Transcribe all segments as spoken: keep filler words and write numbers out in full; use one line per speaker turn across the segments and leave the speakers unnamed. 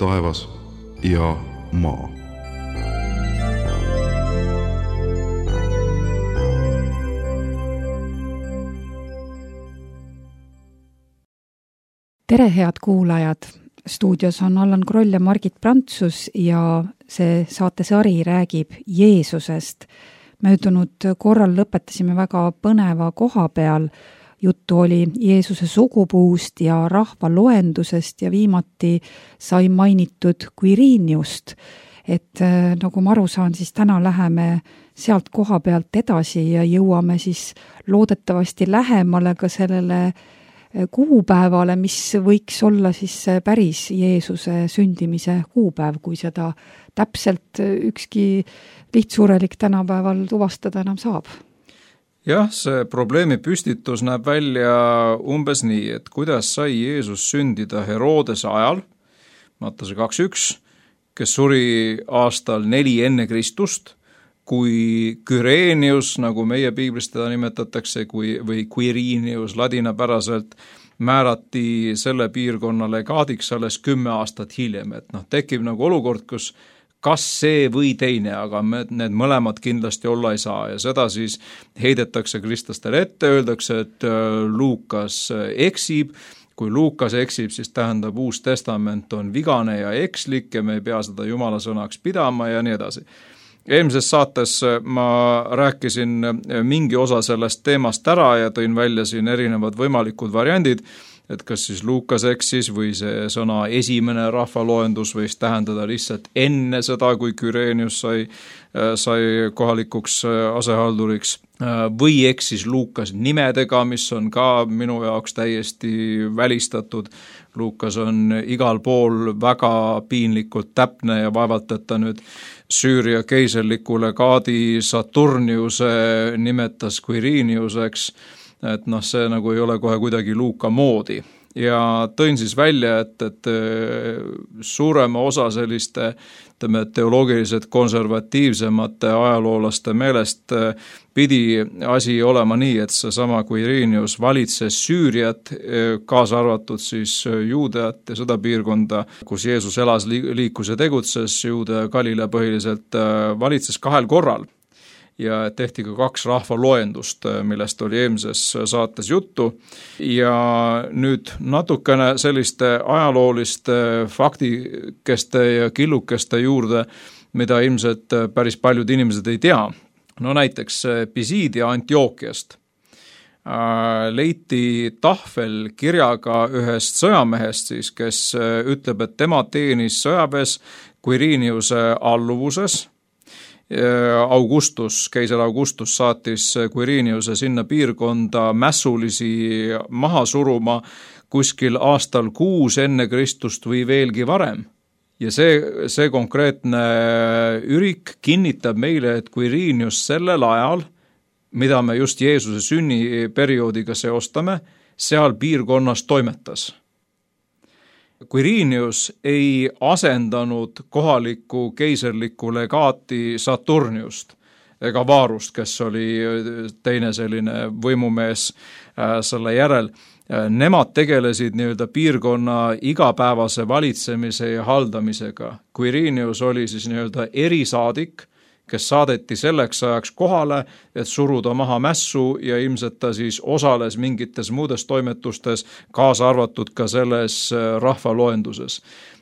taevas ja maa.
Tere, head kuulajad! Stuudios on Allan Kroll ja Margit Prantsus ja see saatesari räägib Jeesusest. Möödunud korral lõpetasime väga põneva koha peal. Juttu oli Jeesuse sugupuust ja rahvaloendusest ja viimati sai mainitud Quiriniust. Et nagu ma aru saan, siis täna läheme sealt koha pealt edasi ja jõuame siis loodetavasti lähemale ka sellele kuupäevale, mis võiks olla siis päris Jeesuse sündimise kuupäev, kui seda täpselt ükski lihtsurelik tänapäeval tuvastada enam saab.
Jah, see probleemi püstitus näeb välja umbes nii, et kuidas sai Jeesus sündida Herodese ajal, Mattuse kaks üks, kes suri aastal neli enne Kristust, kui Quirinius, nagu meie piiblis teda nimetatakse, kui, või Quirinius ladinapäraselt, määrati selle piirkonna legaadiks alles kümme aastat hiljem. Et noh, tekib nagu olukord, kus kas see või teine, aga me, need mõlemad kindlasti olla ei saa. Ja seda siis heidetakse kristlastele ette, öeldakse, et Luukas eksib. Kui Luukas eksib, siis tähendab Uus Testament on vigane ja ekslik ja me ei pea seda Jumala sõnaks pidama ja nii edasi. Eelmises saates ma rääkisin mingi osa sellest teemast ära ja tõin välja siin erinevad võimalikud variandid, et kas siis Luukas eksis või see sõna esimene rahvaloendus võis tähendada lihtsalt enne seda, kui Quirinius sai, sai kohalikuks asehalduriks, või eksis Luukas nimedega, mis on ka minu jaoks täiesti välistatud. Luukas on igal pool väga piinlikult täpne ja vaevalt, et ta nüüd Süüria keiserliku legaadi Saturniuse nimetas Quiriniuseks, et noh, see nagu ei ole kohe kuidagi Luuka moodi. Ja tõin siis välja, et, et suurema osa selliste ütleme, teoloogiliselt konservatiivsemate ajaloolaste meelest pidi asi olema nii, et see sama Quirinius valitses Süüriat, kaasa arvatud siis Juudeat ja seda piirkonda, kus Jeesus elas, liikus ja tegutses, Juude ja Galilea põhiliselt valitses kahel korral. Ja tehti ka kaks rahvaloendust, millest oli eelmises saates juttu. Ja nüüd natukene selliste ajalooliste faktikeste ja killukeste juurde, mida ilmselt päris paljud inimesed ei tea. No näiteks Pisidia Antiookiast leiti tahvel kirjaga ühest sõjamehest, siis, kes ütleb, et tema teenis sõjaväes Quiriniuse alluvuses. Augustus, keiser Augustus saatis Quiriniuse sinna piirkonda mässulisi maha suruma kuskil aastal kuus enne Kristust või veelgi varem. Ja see, see konkreetne ürik kinnitab meile, et Quirinius sellel ajal, mida me just Jeesuse sünniperioodiga seostame, seal piirkonnas toimetas. Quirinius ei asendanud kohalikku keiserlikku legaati Saturniust ega Varust, kes oli teine selline võimumees selle järel. Nemad tegelesid nii-öelda piirkonna igapäevase valitsemise ja haldamisega. Quirinius oli siis nii-öelda erisaadik, kes saadeti selleks ajaks kohale, et suruda maha mässu ja ilmselt ta siis osales mingites muudes toimetustes, kaasa arvatud ka selles rahvaloenduses.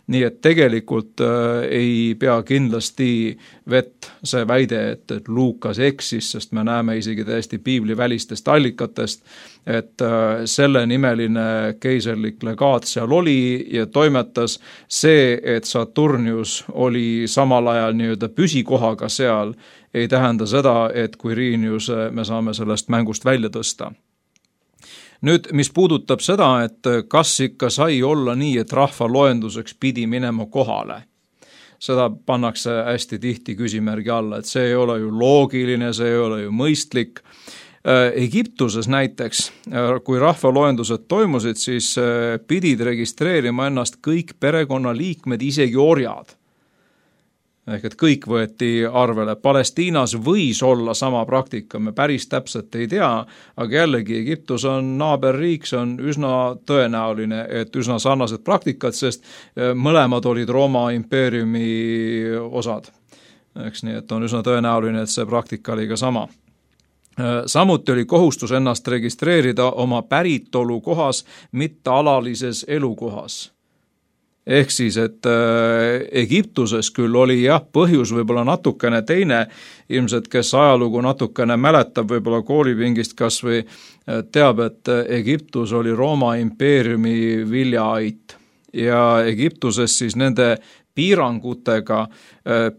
Nii et tegelikult äh, ei pea kindlasti vett see väide, et, et Luukas eksis, sest me näeme isegi täiesti piibli välistest allikatest, et äh, selle nimeline keiserlik legaat seal oli ja toimetas. See, et Saturnius oli samal ajal nii-öelda püsikohaga seal, ei tähenda seda, et Quirinius me saame sellest mängust välja tõsta. Nüüd, mis puudutab seda, et kas ikka sai olla nii, et rahvaloenduseks pidi minema kohale, seda pannakse hästi tihti küsimärgi alla, et see ei ole ju loogiline, see ei ole ju mõistlik. Egiptuses näiteks, kui rahvaloendused toimusid, siis pidid registreerima ennast kõik perekonnaliikmed, isegi orjad. ehk et kõik võeti arvele. Palestiinas võis olla sama praktika, me päris täpselt ei tea, aga jällegi Egiptus on naaberriik, see on üsna tõenäoline, et üsna sarnased praktikad, sest mõlemad olid Rooma impeeriumi osad. Eks nii, et on üsna tõenäoline, et see praktika oli ka sama. Samuti oli kohustus ennast registreerida oma päritolu kohas, mitte alalises elukohas. Ehk siis, et Egiptuses küll oli jah, põhjus võib-olla natukene teine, ilmselt kes ajalugu natukene mäletab võib-olla koolipingist kas või teab, et Egiptus oli Rooma impeeriumi viljaait ja Egiptuses siis nende piirangutega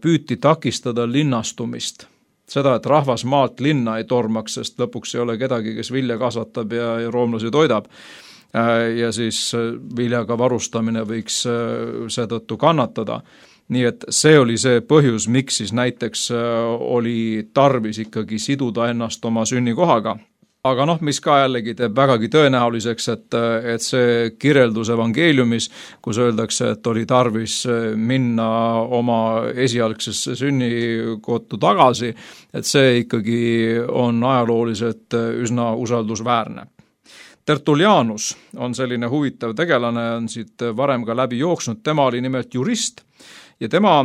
püüti takistada linnastumist. Seda, et rahvas maalt linna ei tormaks, sest lõpuks ei ole kedagi, kes vilja kasvatab ja, ja roomlasi toidab. Ja siis viljaga varustamine võiks seetõttu kannatada. Nii et see oli see põhjus, miks siis näiteks oli tarvis ikkagi siduda ennast oma sünnikohaga. Aga noh, mis ka jällegi teeb vägagi tõenäoliseks, et, et see kirjeldus evangeeliumis, kus öeldakse, et oli tarvis minna oma esialgsesse sünnikohta tagasi, et see ikkagi on ajalooliselt üsna usaldusväärne. Tertullianus on selline huvitav tegelane, on siit varem ka läbi jooksnud, tema oli nimelt jurist ja tema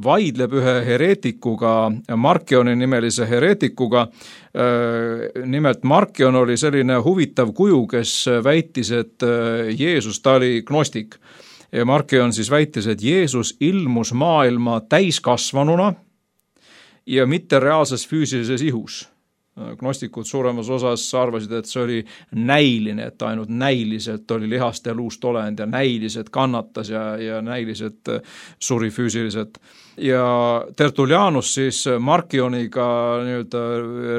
vaidleb ühe hereetikuga, Markioni nimelise hereetikuga. Nimelt Markion oli selline huvitav kuju, kes väitis, et Jeesus, ta oli gnostik. Ja Markion siis väitis, et Jeesus ilmus maailma täiskasvanuna ja mitte reaalses füüsilises ihus. Gnostikud suuremas osas arvasid, et see oli näiline, et ainult näiliselt oli lihast ja luust olend ja näiliselt kannatas ja, ja näiliselt suri füüsiliselt. Ja Tertullianus siis Markioniga nii-öelda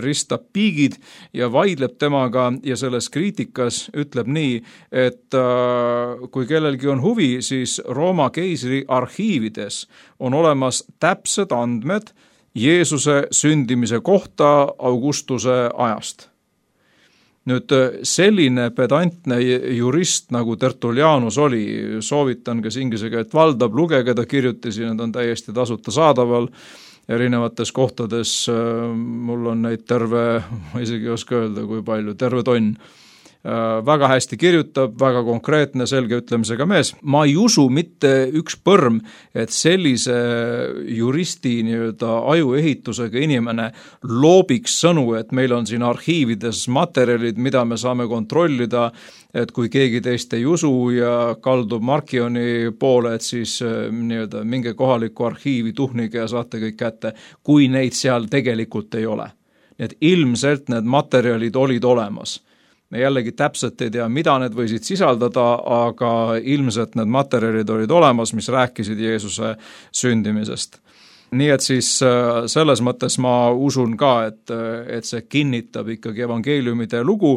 ristab piigid ja vaidleb temaga ja selles kriitikas ütleb nii, et kui kellelgi on huvi, siis Rooma keisri arhiivides on olemas täpsed andmed Jeesuse sündimise kohta Augustuse ajast. Nüüd selline pedantne jurist nagu Tertullianus oli, soovitan, kes inglise keelt valdab, lugege, ta kirjutisi, need on täiesti tasuta saadaval erinevates kohtades, mul on neid terve, ma isegi ei oska öelda, kui palju, terve tonn. Väga hästi kirjutab, väga konkreetne, selge ütlemisega mees. Ma ei usu mitte üks põrm, et sellise juristi nii-öelda ajuehitusega inimene loobiks sõnu, et meil on siin arhiivides materjalid, mida me saame kontrollida, et kui keegi teist ei usu ja kaldub Markioni poole, et siis nii-öelda minge kohaliku arhiivi tuhnige ja saate kõik kätte, kui neid seal tegelikult ei ole. Nii et ilmselt need materjalid olid olemas. Me jällegi täpselt ei tea, mida need võisid sisaldada, aga ilmselt need materjalid olid olemas, mis rääkisid Jeesuse sündimisest. Nii et siis selles mõttes ma usun ka, et, et see kinnitab ikkagi evangeeliumide lugu,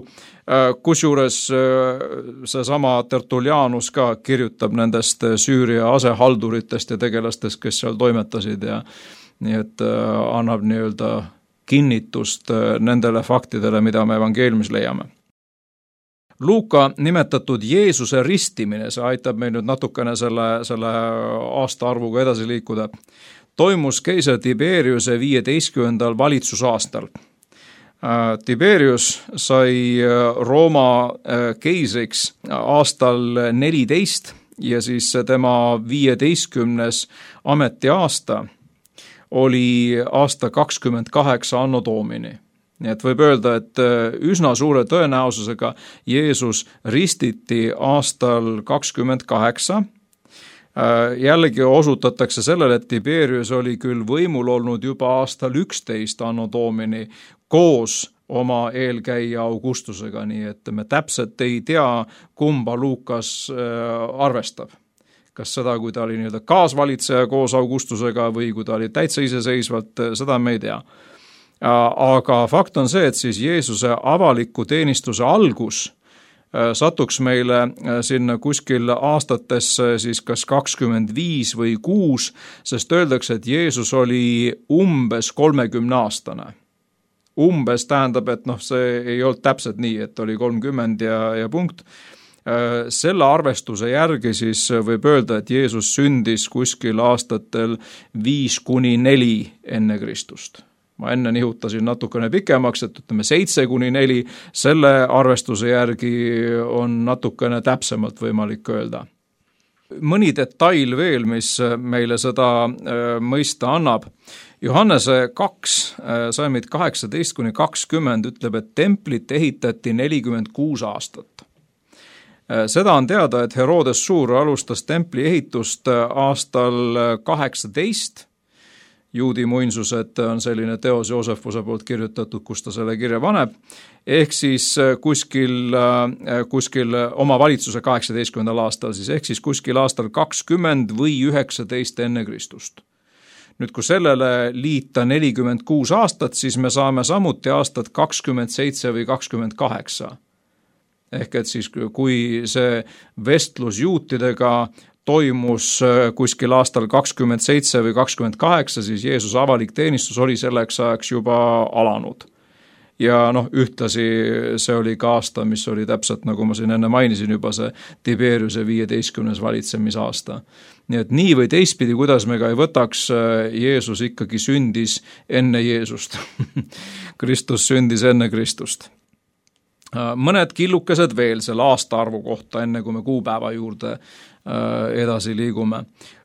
kusjuures seesama Tertullianus ka kirjutab nendest Süüria asehalduritest ja tegelastest, kes seal toimetasid ja nii et annab nii-öelda kinnitust nendele faktidele, mida me evangeeliumis leiame. Luuka nimetatud Jeesuse ristimine, see aitab meil nüüd natukene selle, selle aastaarvuga edasi liikuda, toimus keiser Tiberiuse viieteistkümnendal valitsusaastal. Tiberius sai Rooma keisriks aastal neliteist ja siis tema viieteistkümnes ametiaasta oli aasta kakskümmend kaheksa anno domini. Nii et võib öelda, et üsna suure tõenäosusega Jeesus ristiti aastal kakskümmend kaheksa. Jällegi osutatakse sellele, et Tiberius oli küll võimul olnud juba aastal üksteist anno domini koos oma eelkäija Augustusega, nii et me täpselt ei tea, kumba Luukas arvestab. Kas seda, kui ta oli nii-öelda kaasvalitseja koos Augustusega või kui ta oli täitsa iseseisvalt, seda me ei tea. Aga fakt on see, et siis Jeesuse avaliku teenistuse algus satuks meile sinna kuskil aastatesse siis kas kakskümmend viis või kuus, sest öeldakse, et Jeesus oli umbes kolmekümne aastane. Umbes tähendab, et noh, see ei olnud täpselt nii, et oli kolmkümmend ja, ja punkt. Selle arvestuse järgi siis võib öelda, et Jeesus sündis kuskil aastatel viis kuni neli enne Kristust. Ma enne nihutasin natukene pikemaks, et ütleme seitse kuni neli, selle arvestuse järgi on natukene täpsemalt võimalik öelda. Mõni detail veel, mis meile seda mõista annab. Johannese kaks, salmid kaheksateist kuni kakskümmend ütleb, et templit ehitati nelikümmend kuus aastat. Seda on teada, et Herodes Suur alustas templi ehitust aastal kaheksateist. Juudi muinsused on selline teos Joosefuse poolt kirjutatud, kus ta selle kirja paneb, ehk siis kuskil, kuskil oma valitsuse kaheksateistkümnendal aastal, siis ehk siis kuskil aastal kakskümmend või üheksateist enne Kristust. Nüüd, kui sellele liita nelikümmend kuus aastat, siis me saame samuti aastat kakskümmend seitse või kakskümmend kaheksa. Ehk et siis, kui see vestlus juutidega toimus kuskil aastal kakskümmend seitse või kakskümmend kaheksa, siis Jeesuse avalik teenistus oli selleks ajaks juba alanud. Ja noh, ühtlasi see oli ka aasta, mis oli täpselt, nagu ma siin enne mainisin juba, see Tiberiuse viieteistkümnes valitsemisaasta. Nii et nii või teistpidi, kuidas me ka ei võtaks, Jeesus ikkagi sündis enne Jeesust. Kristus sündis enne Kristust. Mõned killukesed veel selle aastaarvu kohta, enne kui me kuupäeva juurde edasi liigume.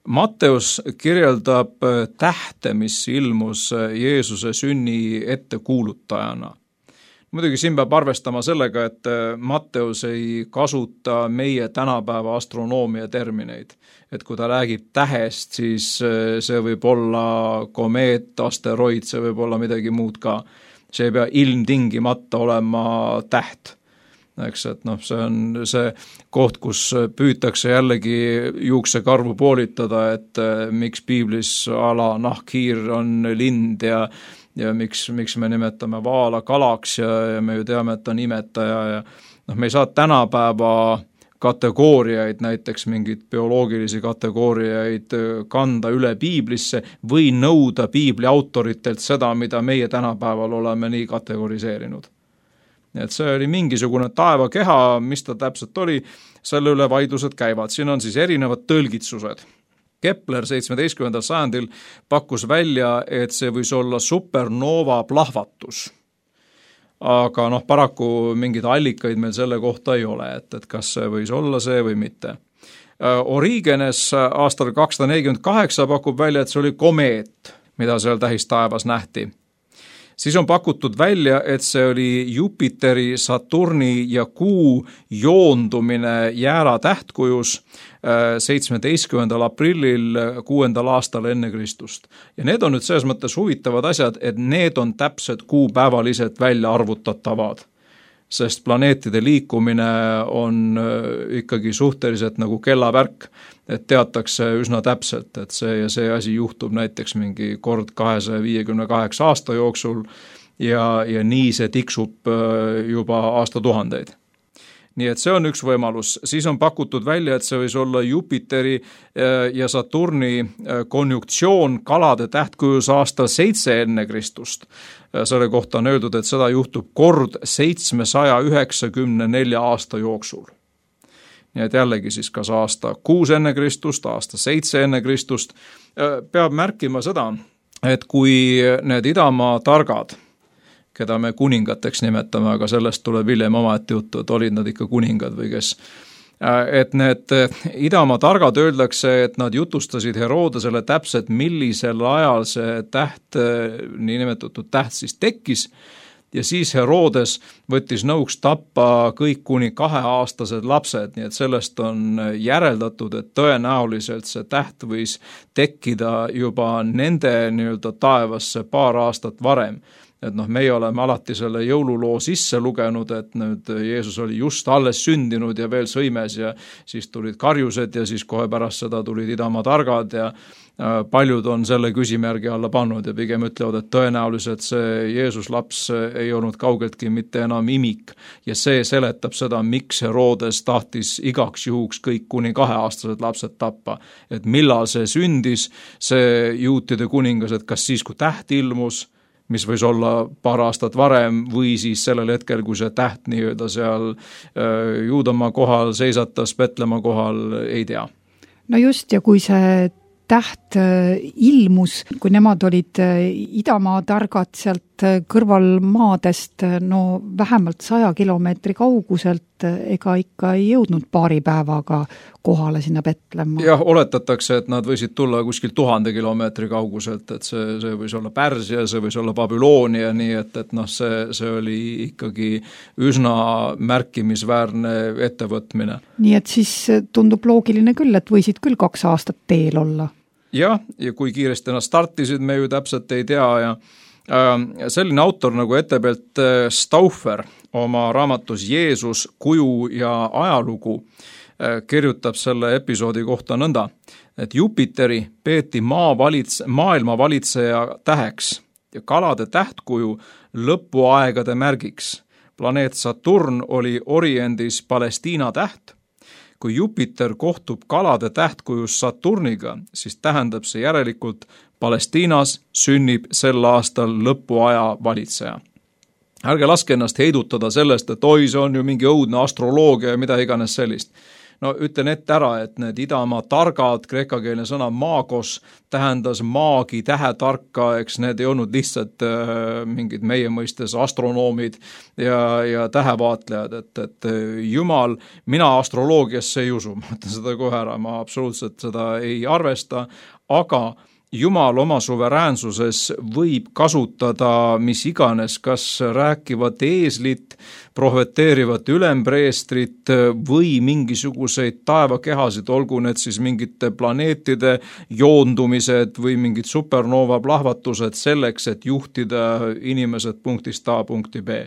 Matteus kirjeldab tähte, mis ilmus Jeesuse sünni ettekuulutajana. Muidugi siin peab arvestama sellega, et Matteus ei kasuta meie tänapäeva astronoomia termineid. Et kui ta räägib tähest, siis see võib olla komeet, asteroid, see võib olla midagi muud ka. See ei pea ilmtingimata olema täht. Eks, et noh, see on see koht, kus püütakse jällegi juuksekarvu poolitada, et miks piiblis ala nahkhiir on lind ja, ja miks, miks me nimetame vaala kalaks ja, ja me ju teame, et on imetaja ja noh, me ei saa tänapäeva kategooriaid, näiteks mingid bioloogilisi kategooriaid kanda üle piiblisse või nõuda piibli autoritelt seda, mida meie tänapäeval oleme nii kategoriseerinud. Et see oli mingisugune taevakeha, mis ta täpselt oli, selle üle vaidlused käivad. Siin on siis erinevad tõlgitsused. Kepler seitsmeteistkümnendal sajandil pakkus välja, et see võis olla supernova plahvatus. Aga noh, paraku mingeid allikaid meil selle kohta ei ole, et, et kas see võis olla see või mitte. Origenes aastal kakssada nelikümmend kaheksa pakub välja, et see oli komeet, mida seal tähistaevas nähti. Siis on pakutud välja, et see oli Jupiteri, Saturni ja Kuu joondumine jäära tähtkujus seitsmeteistkümnendal aprillil kuuendal aastal enne Kristust. Ja need on nüüd selles mõttes huvitavad asjad, et need on täpsed kuupäevaliselt välja arvutatavad. Sest planeetide liikumine on ikkagi suhteliselt nagu kellavärk, et teatakse üsna täpselt, et see ja see asi juhtub näiteks mingi kord kahesaja viiekümne kaheksa aasta jooksul ja, ja nii see tiksub juba aastatuhandeid. Nii et see on üks võimalus. Siis on pakutud välja, et see võis olla Jupiteri ja Saturni konjunktsioon kalade tähtkujus aastal seitse enne Kristust. Selle kohta on öeldud, et seda juhtub kord seitsmesaja üheksakümne nelja aasta jooksul. Nii et jällegi siis kas aasta kuus enne Kristust, aasta seitse enne Kristust. Peab märkima seda, et kui need idamaa targad, keda me kuningateks nimetame, aga sellest tuleb hiljem omaette juttu, et olid nad ikka kuningad või kes. Et need idamaa targad öeldakse, et nad jutustasid Herodesele täpselt, millisel ajal see täht, niinimetatud täht siis tekkis, ja siis Herodes võttis nõuks tappa kõik kuni kaheaastased lapsed, nii et sellest on järeldatud, et tõenäoliselt see täht võis tekkida juba nende nii-öelda taevasse paar aastat varem. Et noh, meie oleme alati selle jõululoo sisse lugenud, et nüüd Jeesus oli just alles sündinud ja veel sõimes ja siis tulid karjused ja siis kohe pärast seda tulid idamaa targad ja paljud on selle küsimärgi alla pannud ja pigem ütlevad, et tõenäoliselt see Jeesus laps ei olnud kaugeltki mitte enam imik ja see seletab seda, miks Herodes tahtis igaks juhuks kõik kuni kaheaastased lapsed tappa. Et millal see sündis, see juutide kuningas, et kas siis, kui täht ilmus, mis võis olla paar aastat varem või siis sellel hetkel, kui see täht nii-öelda seal Juudamaa kohal seisatas, Petlemma kohal, ei tea.
No just, ja kui see täht ilmus, kui nemad olid Idamaa targad sealt kõrvalmaadest, no vähemalt saja kilomeetri kauguselt, ega ikka ei jõudnud paari päevaga kohale sinna Petlemma.
Jah, oletatakse, et nad võisid tulla kuskil tuhande kilomeetri kauguselt, et see, see võis olla Pärsia, see võis olla Babyloonia, nii et, et noh, see, see oli ikkagi üsna märkimisväärne ettevõtmine.
Nii et siis tundub loogiline küll, et võisid küll kaks aastat teel olla.
Jah, ja kui kiiresti nad startisid, me ju täpselt ei tea ja selline autor nagu Ettebelt Stauffer oma raamatus Jeesus, kuju ja ajalugu kirjutab selle episoodi kohta nõnda, et Jupiteri peeti maa valits, maailma valitseja täheks ja kalade tähtkuju lõpuaegade märgiks. Planeet Saturn oli Oriendis Palestiina täht. Kui Jupiter kohtub kalade tähtkujus Saturniga, siis tähendab see järelikult Palestiinas sünnib sel aastal lõpuaja valitseja. Ärge laske ennast heidutada sellest, et oi, see on ju mingi õudne astroloogia ja mida iganes sellist. No ütlen ette ära, et need Idamaa targad, kreekakeelne sõna maagos tähendas maagi, tähetarka, eks need ei olnud lihtsalt äh, mingid meie mõistes astronoomid ja, ja tähevaatlejad, et, et Jumal, mina astroloogiasse ei usu, ma ütlen seda kohe ära, ma absoluutselt seda ei arvesta, aga Jumal oma suveräänsuses võib kasutada mis iganes, kas rääkivat eeslit, prohveteerivat ülempreestrit või mingisuguseid taevakehasid, olgu need siis mingite planeetide joondumised või mingid supernova plahvatused selleks, et juhtida inimesed punktist A punkti B.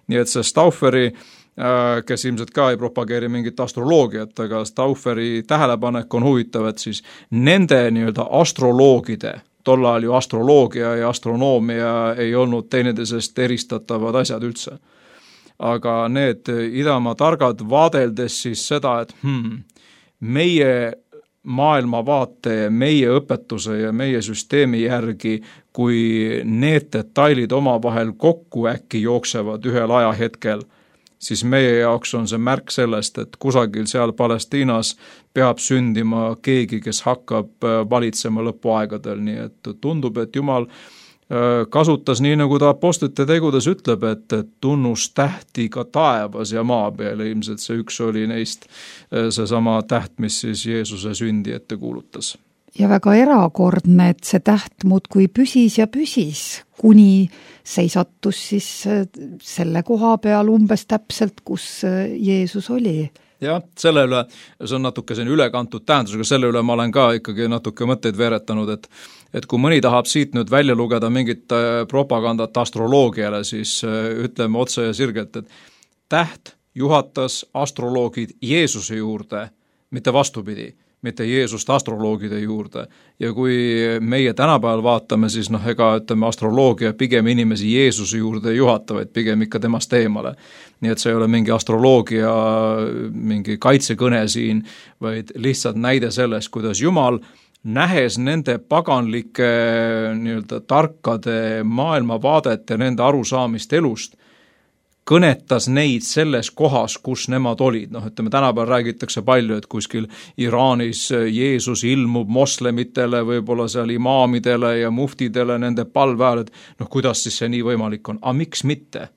Nii et see Staufferi, kes ilmselt ka ei propageeri mingit astroloogiat, aga Staufferi tähelepanek on huvitav, et siis nende nii-öelda astroloogide, tol ajal ju astroloogia ja astronoomia ei olnud teineteisest eristatavad asjad üldse. Aga need Idamaa targad vaadeldes siis seda, et hmm, meie maailmavaate, meie õpetuse ja meie süsteemi järgi, kui need detailid omavahel kokku äkki jooksevad ühel ajahetkel, siis meie jaoks on see märk sellest, et kusagil seal Palestiinas peab sündima keegi, kes hakkab valitsema lõpuaegadel, nii et tundub, et Jumal kasutas nii, nagu ta apostlite tegudes ütleb, et tunnus tähti ka taevas ja maa peal, ilmselt see üks oli neist seesama täht, mis siis Jeesuse sündi ette kuulutas.
Ja väga erakordne, et see täht muudkui püsis ja püsis, kuni seisattus siis selle koha peal umbes täpselt, kus Jeesus oli.
Jah, selle üle, see on natuke selline ülekantud tähendusega, selle üle ma olen ka ikkagi natuke mõtteid veeretanud, et, et kui mõni tahab siit nüüd välja lugeda mingit propagandat astroloogiale, siis ütleme otse ja sirgelt, et täht juhatas astroloogid Jeesuse juurde, mitte vastupidi, mitte Jeesust astroloogide juurde. Ja kui meie tänapäeval vaatame, siis noh, ega ütleme astroloogia pigem inimesi Jeesuse juurde ei juhata, vaid pigem ikka temast eemale. Nii et see ei ole mingi astroloogia, mingi kaitsekõne siin, vaid lihtsalt näide sellest, kuidas Jumal nähes nende paganlike nii-öelda tarkade maailmavaadet ja nende arusaamist elust, kõnetas neid selles kohas, kus nemad olid. Noh, ütleme, tänapäeval räägitakse palju, et kuskil Iraanis Jeesus ilmub moslemitele, võib-olla seal imaamidele ja muftidele nende palve ajal, et noh, kuidas siis see nii võimalik on. Aga miks mitte?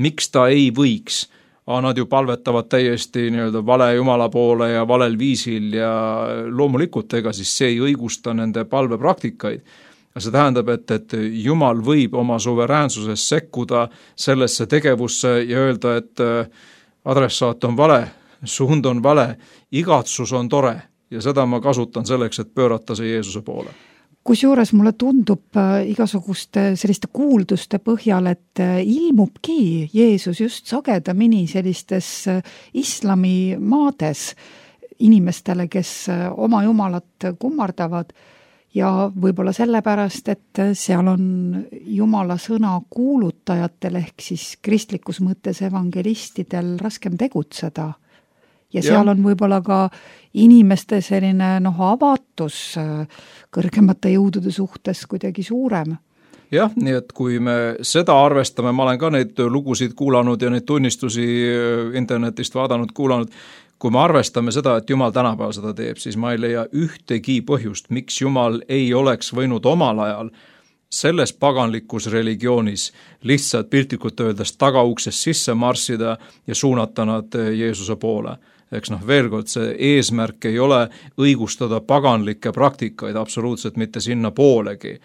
Miks ta ei võiks? Aga nad ju palvetavad täiesti nii-öelda vale Jumala poole ja valel viisil ja loomulikult ega siis see ei õigusta nende palvepraktikaid. See tähendab, et, et Jumal võib oma suveräänsuses sekkuda sellesse tegevusse ja öelda, et adressaat on vale, suund on vale, igatsus on tore ja seda ma kasutan selleks, et pöörata see Jeesuse poole.
Kusjuures mulle tundub igasuguste selliste kuulduste põhjal, et ilmubki Jeesus just sagedamini sellistes islami maades inimestele, kes oma jumalat kummardavad. Ja võib-olla sellepärast, et seal on Jumala sõna kuulutajatel ehk siis kristlikus mõttes evangelistidel raskem tegutseda. Ja seal ja. on võib-olla ka inimeste selline noh, avatus kõrgemate jõudude suhtes kuidagi suurem.
jah, nii et kui me seda arvestame, ma olen ka neid lugusid kuulanud ja neid tunnistusi internetist vaadanud, kuulanud, kui me arvestame seda, et Jumal tänapäeval seda teeb, siis ma ei leia ühtegi põhjust, miks Jumal ei oleks võinud omal ajal selles paganlikus religioonis lihtsalt piltlikult öeldes tagauksest sisse marssida ja suunata nad Jeesuse poole. Eks noh, veel kord, see eesmärk ei ole õigustada paganlikke praktikaid absoluutselt mitte sinna poolegi,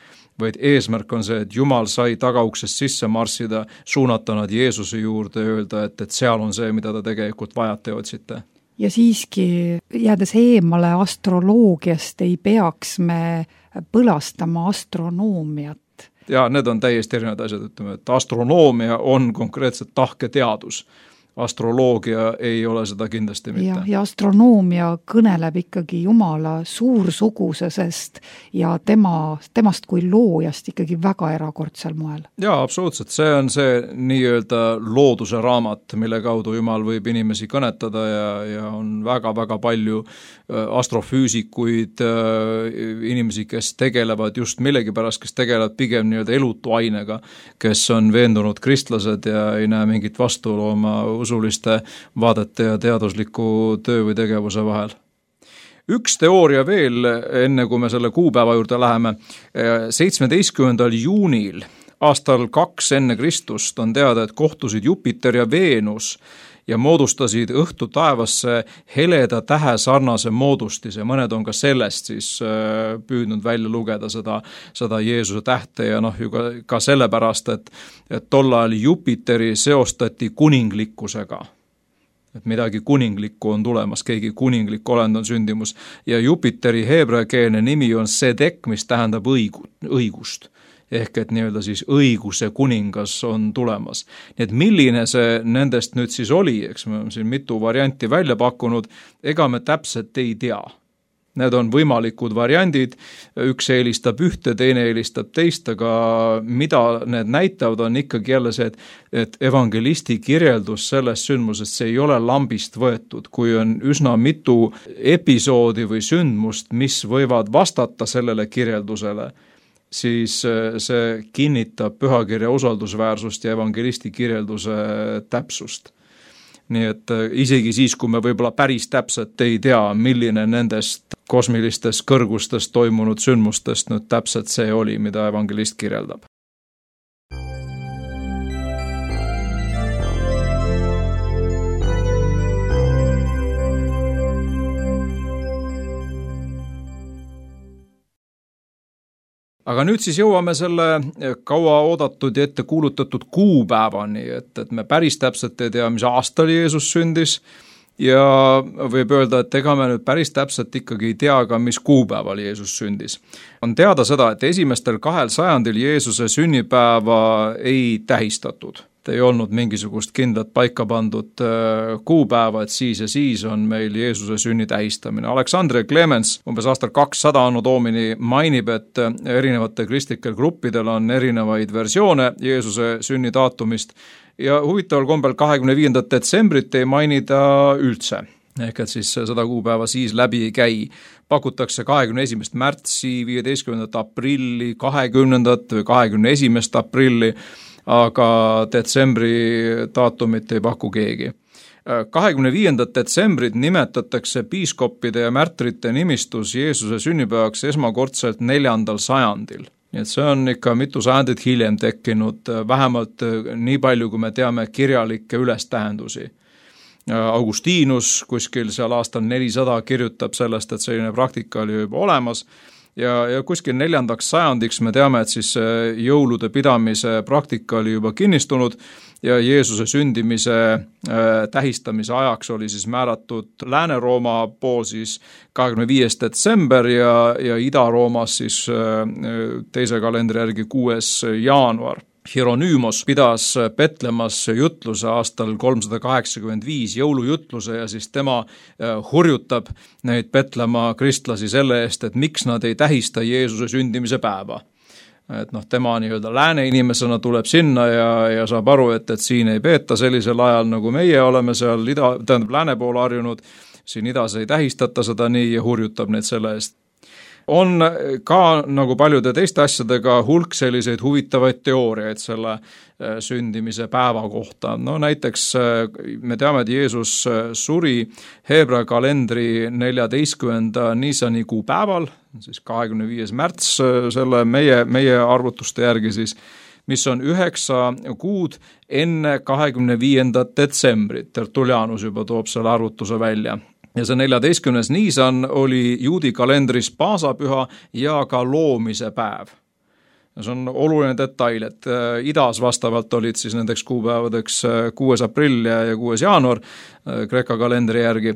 vaid eesmärk on see, et Jumal sai tagauksest sisse marssida, suunata nad Jeesuse juurde ja öelda, et, et seal on see, mida ta tegelikult vajate ja otsite.
Ja siiski, jäädes eemale astroloogiast, ei peaks me põlastama astronoomiat.
Ja need on täiesti erinevad asjad, ütleme, et astronoomia on konkreetselt tahketeadus. Astroloogia ei ole seda kindlasti mitte.
Ja, ja astronoomia kõneleb ikkagi Jumala suursugusesest ja tema, temast kui loojast ikkagi väga erakordsel moel.
Jaa, absoluutselt. See on see nii-öelda looduse raamat, mille kaudu Jumal võib inimesi kõnetada ja, ja on väga-väga palju astrofüüsikuid, inimesi, kes tegelevad just millegipärast, kes tegelevad pigem nii-öelda elutu ainega, kes on veendunud kristlased ja ei näe mingit vastuolu oma usuliste vaadete ja teadusliku töö või tegevuse vahel. Üks teooria veel, enne kui me selle kuupäeva juurde läheme, seitsmeteistkümnendal juunil aastal kaks enne Kristust on teada, et kohtusid Jupiter ja Veenus ja moodustasid õhtu taevasse heleda tähe sarnase moodustise. Mõned on ka sellest siis püüdnud välja lugeda seda, seda Jeesuse tähte ja noh, ju ka, ka sellepärast, et, et tol ajal Jupiteri seostati kuninglikkusega. Et midagi kuninglikku on tulemas, keegi kuninglik olend on sündimus. Ja Jupiteri heebreakeelne nimi on Sedek, mis tähendab õigu, õigust. Ehk et nii-öelda siis õiguse kuningas on tulemas. Nii et milline see nendest nüüd siis oli, eks me siin mitu varianti välja pakkunud, ega me täpselt ei tea. Need on võimalikud variandid, üks eelistab ühte, teine eelistab teist, aga mida need näitavad on ikkagi jälle see, et, et evangelisti kirjeldus sellest sündmusest, see ei ole lambist võetud, kui on üsna mitu episoodi või sündmust, mis võivad vastata sellele kirjeldusele, siis see kinnitab pühakirja usaldusväärsust ja evangelisti kirjelduse täpsust. Nii et isegi siis, kui me võib-olla päris täpselt ei tea, milline nendest kosmilistest kõrgustest toimunud sündmustest nüüd täpselt see oli, mida evangelist kirjeldab. Aga nüüd siis jõuame selle kaua oodatud ja ette kuulutatud kuupäevani, et, et me päris täpselt ei tea, mis aastal Jeesus sündis ja võib öelda, et ega me nüüd päris täpselt ikkagi ei tea ka, mis kuupäeval Jeesus sündis. On teada seda, et esimestel kahel sajandil Jeesuse sünnipäeva ei tähistatud. Ei olnud mingisugust kindlat paika pandud kuupäeva, et siis ja siis on meil Jeesuse sünni tähistamine. Aleksandr Clemens umbes aastal kakssada anno domini mainib, et erinevate kristlikel gruppidel on erinevaid versioone Jeesuse sünni daatumist ja huvitaval kombel kahekümne viiendat detsembrit ei mainida üldse. Ehk et siis seda kuupäeva siis läbi ei käi. Pakutakse kahekümne esimest märtsi, viieteistkümnendat aprilli, kahekümnendat või kahekümne esimest aprilli, aga detsembri daatumit ei paku keegi. kahekümne viiendat detsembrit nimetatakse piiskoppide ja märtrite nimistus Jeesuse sünnipäevaks esmakordselt neljandal sajandil. Nii et see on ikka mitu sajandit hiljem tekkinud, vähemalt nii palju, kui me teame kirjalikke ülestähendusi. Augustinus kuskil seal aastal nelisada kirjutab sellest, et selline praktika oli juba olemas. Ja, ja kuskil neljandaks sajandiks me teame, et siis jõulude pidamise praktika oli juba kinnistunud ja Jeesuse sündimise äh, tähistamise ajaks oli siis määratud Lääne-Rooma pool siis kahekümne viies detsember ja, ja Ida-Roomas siis äh, teise kalendri järgi kuues jaanuar. Hieronymos pidas Petlemas jutluse aastal kolmsada kaheksakümmend viis jõulujutluse ja siis tema hurjutab neid Petlema kristlasi selle eest, et miks nad ei tähista Jeesuse sündimise päeva. Et noh, tema nii-öelda lääne inimesena tuleb sinna ja, ja saab aru, et, et siin ei peeta sellisel ajal, nagu meie oleme seal ida, tähendab lääne poole harjunud, siin idas ei tähistata seda nii ja hurjutab neid selle eest. on ka nagu paljude teiste asjadega hulk selliseid huvitavaid teooriaid selle sündimise päeva kohta. No näiteks me teame, et Jeesus suri Heebrea kalendri neljateistkümnenda Niisani kuupäeval, siis kahekümne viies märts selle meie, meie arvutuste järgi siis, mis on üheksa kuud enne kahekümne viiendat detsembrit. Tertullianus juba toob selle arvutuse välja. Ja see neljateistkümnes Niisan oli juudi kalendris paasapüha ja ka loomise päev. Ja see on oluline detail, et idas vastavalt olid siis nendeks kuupäevadeks kuues aprill ja kuues jaanuar Kreeka kalendri järgi.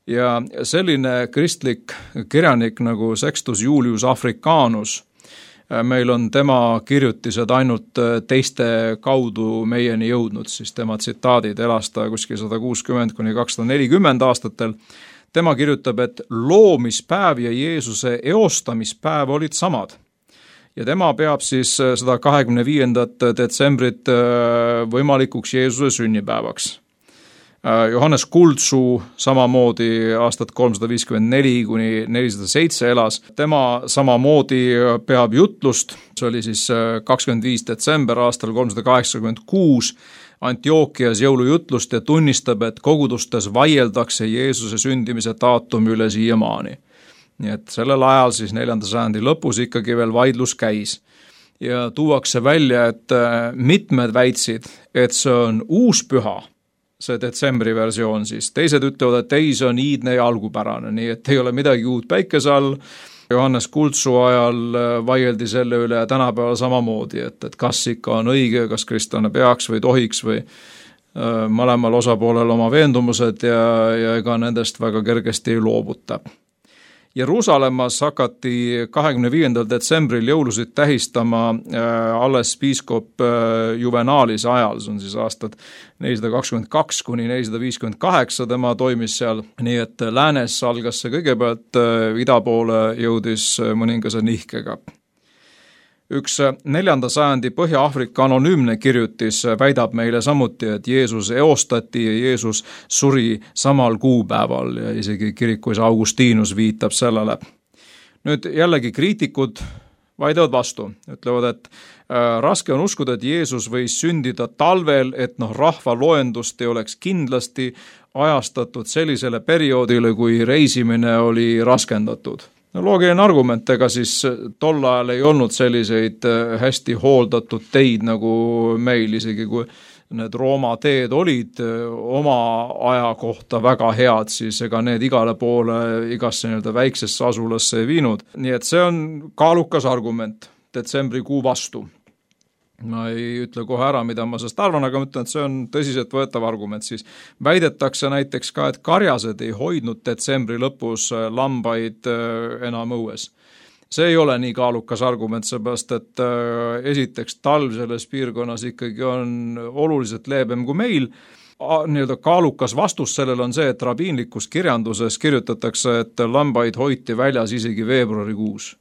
Ja selline kristlik kirjanik nagu Sextus Julius Africanus, meil on tema kirjutised ainult teiste kaudu meieni jõudnud, siis tema tsitaadid elas ta kuskil sada kuuskümmend kuni kakssada nelikümmend aastatel. Tema kirjutab, et loomispäev ja Jeesuse eostamispäev olid samad. Ja tema peab siis seda kahekümne viiendat detsembrit võimalikuks Jeesuse sünnipäevaks. Johannes Kuldsuu samamoodi aastat kolmsada viiskümmend neli kuni nelisada seitse elas. Tema samamoodi peab jutlust, see oli siis kakskümmend viis detsember aastal kolmsada kaheksakümmend kuus Antiookias jõulujutlust ja tunnistab, et kogudustes vaieldakse Jeesuse sündimise daatumi üle siiamaani. Nii et sellel ajal siis neljanda sajandi lõpus ikkagi veel vaidlus käis. Ja tuuakse välja, et mitmed väitsid, et see on uus püha, see detsembri versioon siis. Teised ütlevad, et ei, see on iidne ja algupärane, nii et ei ole midagi uut päikese all. Johannes Kuldsuu ajal vaieldi selle üle tänapäeval samamoodi, et, et kas ikka on õige, kas kristlane peaks või tohiks või äh, mõlemal osapoolel oma veendumused ja, ja ega nendest väga kergesti ei loobuta. Jeruusalemmas hakati kahekümne viiendal detsembril jõulusid tähistama alles piiskop Juvenalis ajal, see on siis aastad nelisada kakskümmend kaks kuni nelisada viiskümmend kaheksa, tema toimis seal, nii et läänes algas see kõigepealt, ida poole jõudis mõningase nihkega. Üks neljanda sajandi Põhja-Aafrika anonüümne kirjutis väidab meile samuti, et Jeesus eostati ja Jeesus suri samal kuupäeval ja isegi kirikuisa Augustinus viitab sellele. Nüüd jällegi kriitikud vaidavad vastu, ütlevad, et äh, raske on uskuda, et Jeesus võis sündida talvel, et noh, rahva loendust ei oleks kindlasti ajastatud sellisele perioodile, kui reisimine oli raskendatud. No, loogiline argument, ega siis tol ajal ei olnud selliseid hästi hooldatud teid nagu meil, isegi kui need Rooma teed olid oma aja kohta väga head, siis ega need igale poole, igasse nii-öelda väiksesse asulasse ei viinud. Nii et see on kaalukas argument detsembrikuu vastu. Ma ei ütle kohe ära, mida ma sellest arvan, aga ma ütlen, et see on tõsiselt võetav argument. Siis väidetakse näiteks ka, et karjased ei hoidnud detsembri lõpus lambaid enam õues. See ei ole nii kaalukas argument, seepärast, et esiteks talv selles piirkonnas ikkagi on oluliselt leebem kui meil. Nii-öelda kaalukas vastus sellel on see, et rabiinlikus kirjanduses kirjutatakse, et lambaid hoiti väljas isegi veebruarikuus.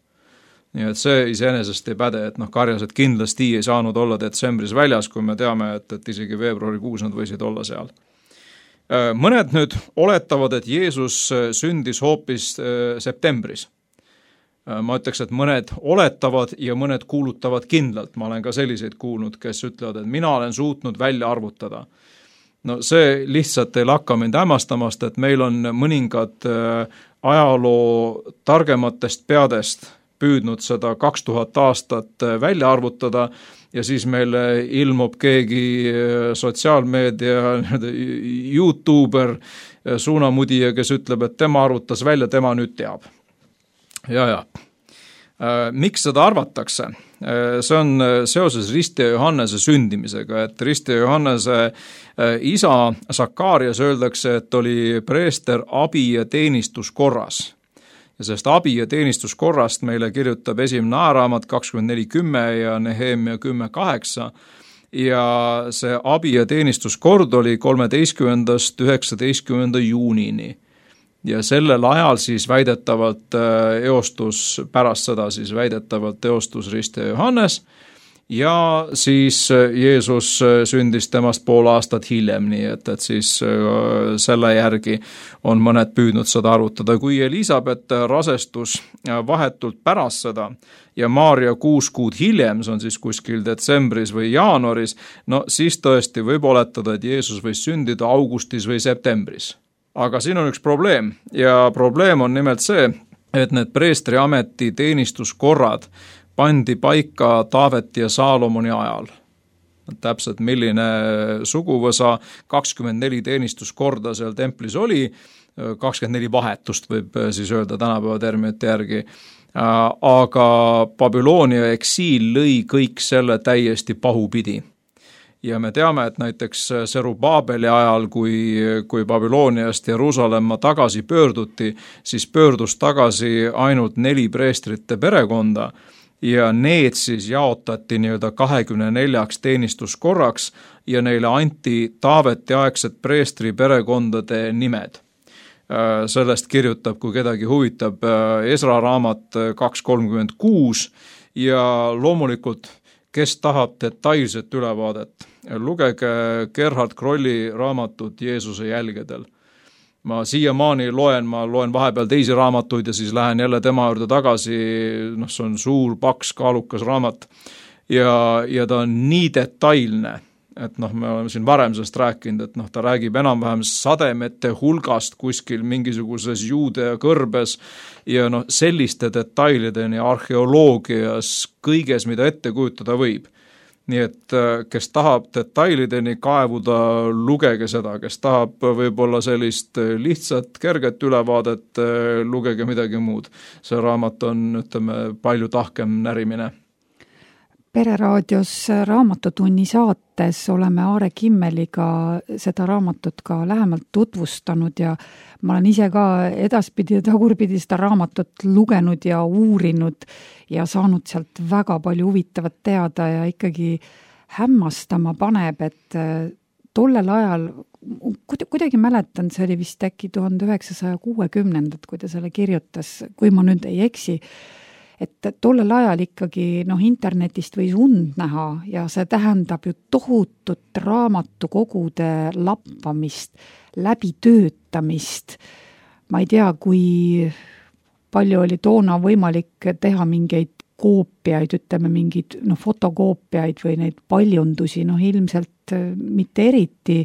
Nii et see iseenesest ei päde, et noh, karjased kindlasti ei saanud olla detsembris väljas, kui me teame, et, et isegi veebruarikuus nad võisid olla seal. Mõned nüüd oletavad, et Jeesus sündis hoopis septembris. Ma ütleks, et mõned oletavad ja mõned kuulutavad kindlalt. Ma olen ka selliseid kuulnud, kes ütlevad, et mina olen suutnud välja arvutada. No see lihtsalt ei lakka mind hämmastamast, et meil on mõningad ajaloo targematest peadest püüdnud seda kaks tuhat aastat välja arvutada ja siis meil ilmub keegi sotsiaalmeedia YouTuber, suunamudija, kes ütleb, et tema arvutas välja, tema nüüd teab. Ja, ja. Miks seda arvatakse? See on seoses Ristja Johannese sündimisega, et Ristja Johannese isa Sakarias öeldakse, et oli preester abi- ja teenistuskorras. Ja sellest abi- ja teenistuskorrast meile kirjutab esimene ajaraamat kakskümmend neli kümme ja Nehemia kümme kaheksa. Ja see abi- ja teenistuskord oli kolmeteistkümnendast üheksateistkümnenda juunini. Ja sellel ajal siis väidetavalt eostus, pärast seda siis väidetavalt eostus Ristja Johannes ja siis Jeesus sündis temast pool aastat hiljem, nii et, et siis selle järgi on mõned püüdnud seda arutada. Kui Elisabeth rasestus vahetult pärast seda ja Maarja kuus kuud hiljem, see on siis kuskil detsembris või jaanuaris, no siis tõesti võib oletada, et Jeesus võis sündida augustis või septembris. Aga siin on üks probleem ja probleem on nimelt see, et need preestriameti teenistuskorrad pandi paika Taaveti ja Saalomoni ajal. Täpselt milline suguvõsa, kakskümmend neli teenistuskorda seal templis oli, kakskümmend neli vahetust võib siis öelda tänapäeva terminite järgi, aga Babyloonia eksiil lõi kõik selle täiesti pahupidi. Ja me teame, et näiteks Serubaabeli ajal, kui, kui Babyloniast Jeruusalemma tagasi pöörduti, siis pöördus tagasi ainult neli preestrite perekonda ja need siis jaotati nii-öelda kahekümne neljaks teenistuskorraks ja neile anti Taaveti aegsed preestri perekondade nimed. Sellest kirjutab, kui kedagi huvitab, Esra raamat kaks kolmkümmend kuus ja loomulikult kes tahab detailset ülevaadet, lugege Gerhard Krolli raamatut Jeesuse jälgedel. Ma siiamaani loen, ma loen vahepeal teisi raamatuid ja siis lähen jälle tema juurde tagasi, noh, see on suur, paks, kaalukas raamat ja, ja ta on nii detailne, et noh, me oleme siin varem sellest rääkinud, et noh, ta räägib enam-vähem sademete hulgast kuskil mingisuguses Juudea kõrbes ja noh, selliste detailideni arheoloogias kõiges, mida ette kujutada võib. Nii et kes tahab detailideni kaevuda, lugege seda, kes tahab võib-olla sellist lihtsat, kerget ülevaadet, lugege midagi muud. See raamat on, ütleme, palju tahkem närimine.
Pereraadios Raamatutunni saates oleme Aare Kimmeliga seda raamatut ka lähemalt tutvustanud ja ma olen ise ka edaspidi ja tagurpidi seda raamatut lugenud ja uurinud ja saanud sealt väga palju huvitavat teada ja ikkagi hämmastama paneb, et tollel ajal, kuidagi mäletan, see oli vist äkki tuhande üheksasaja kuuekümnendad, kui ta selle kirjutas, kui ma nüüd ei eksi, et tollel ajal ikkagi noh, internetist võis und näha ja see tähendab ju tohutut raamatukogude lappamist, läbitöötamist. Ma ei tea, kui palju oli toona võimalik teha mingeid koopiaid, ütleme mingid no, fotokoopiaid või neid paljundusi, noh ilmselt mitte eriti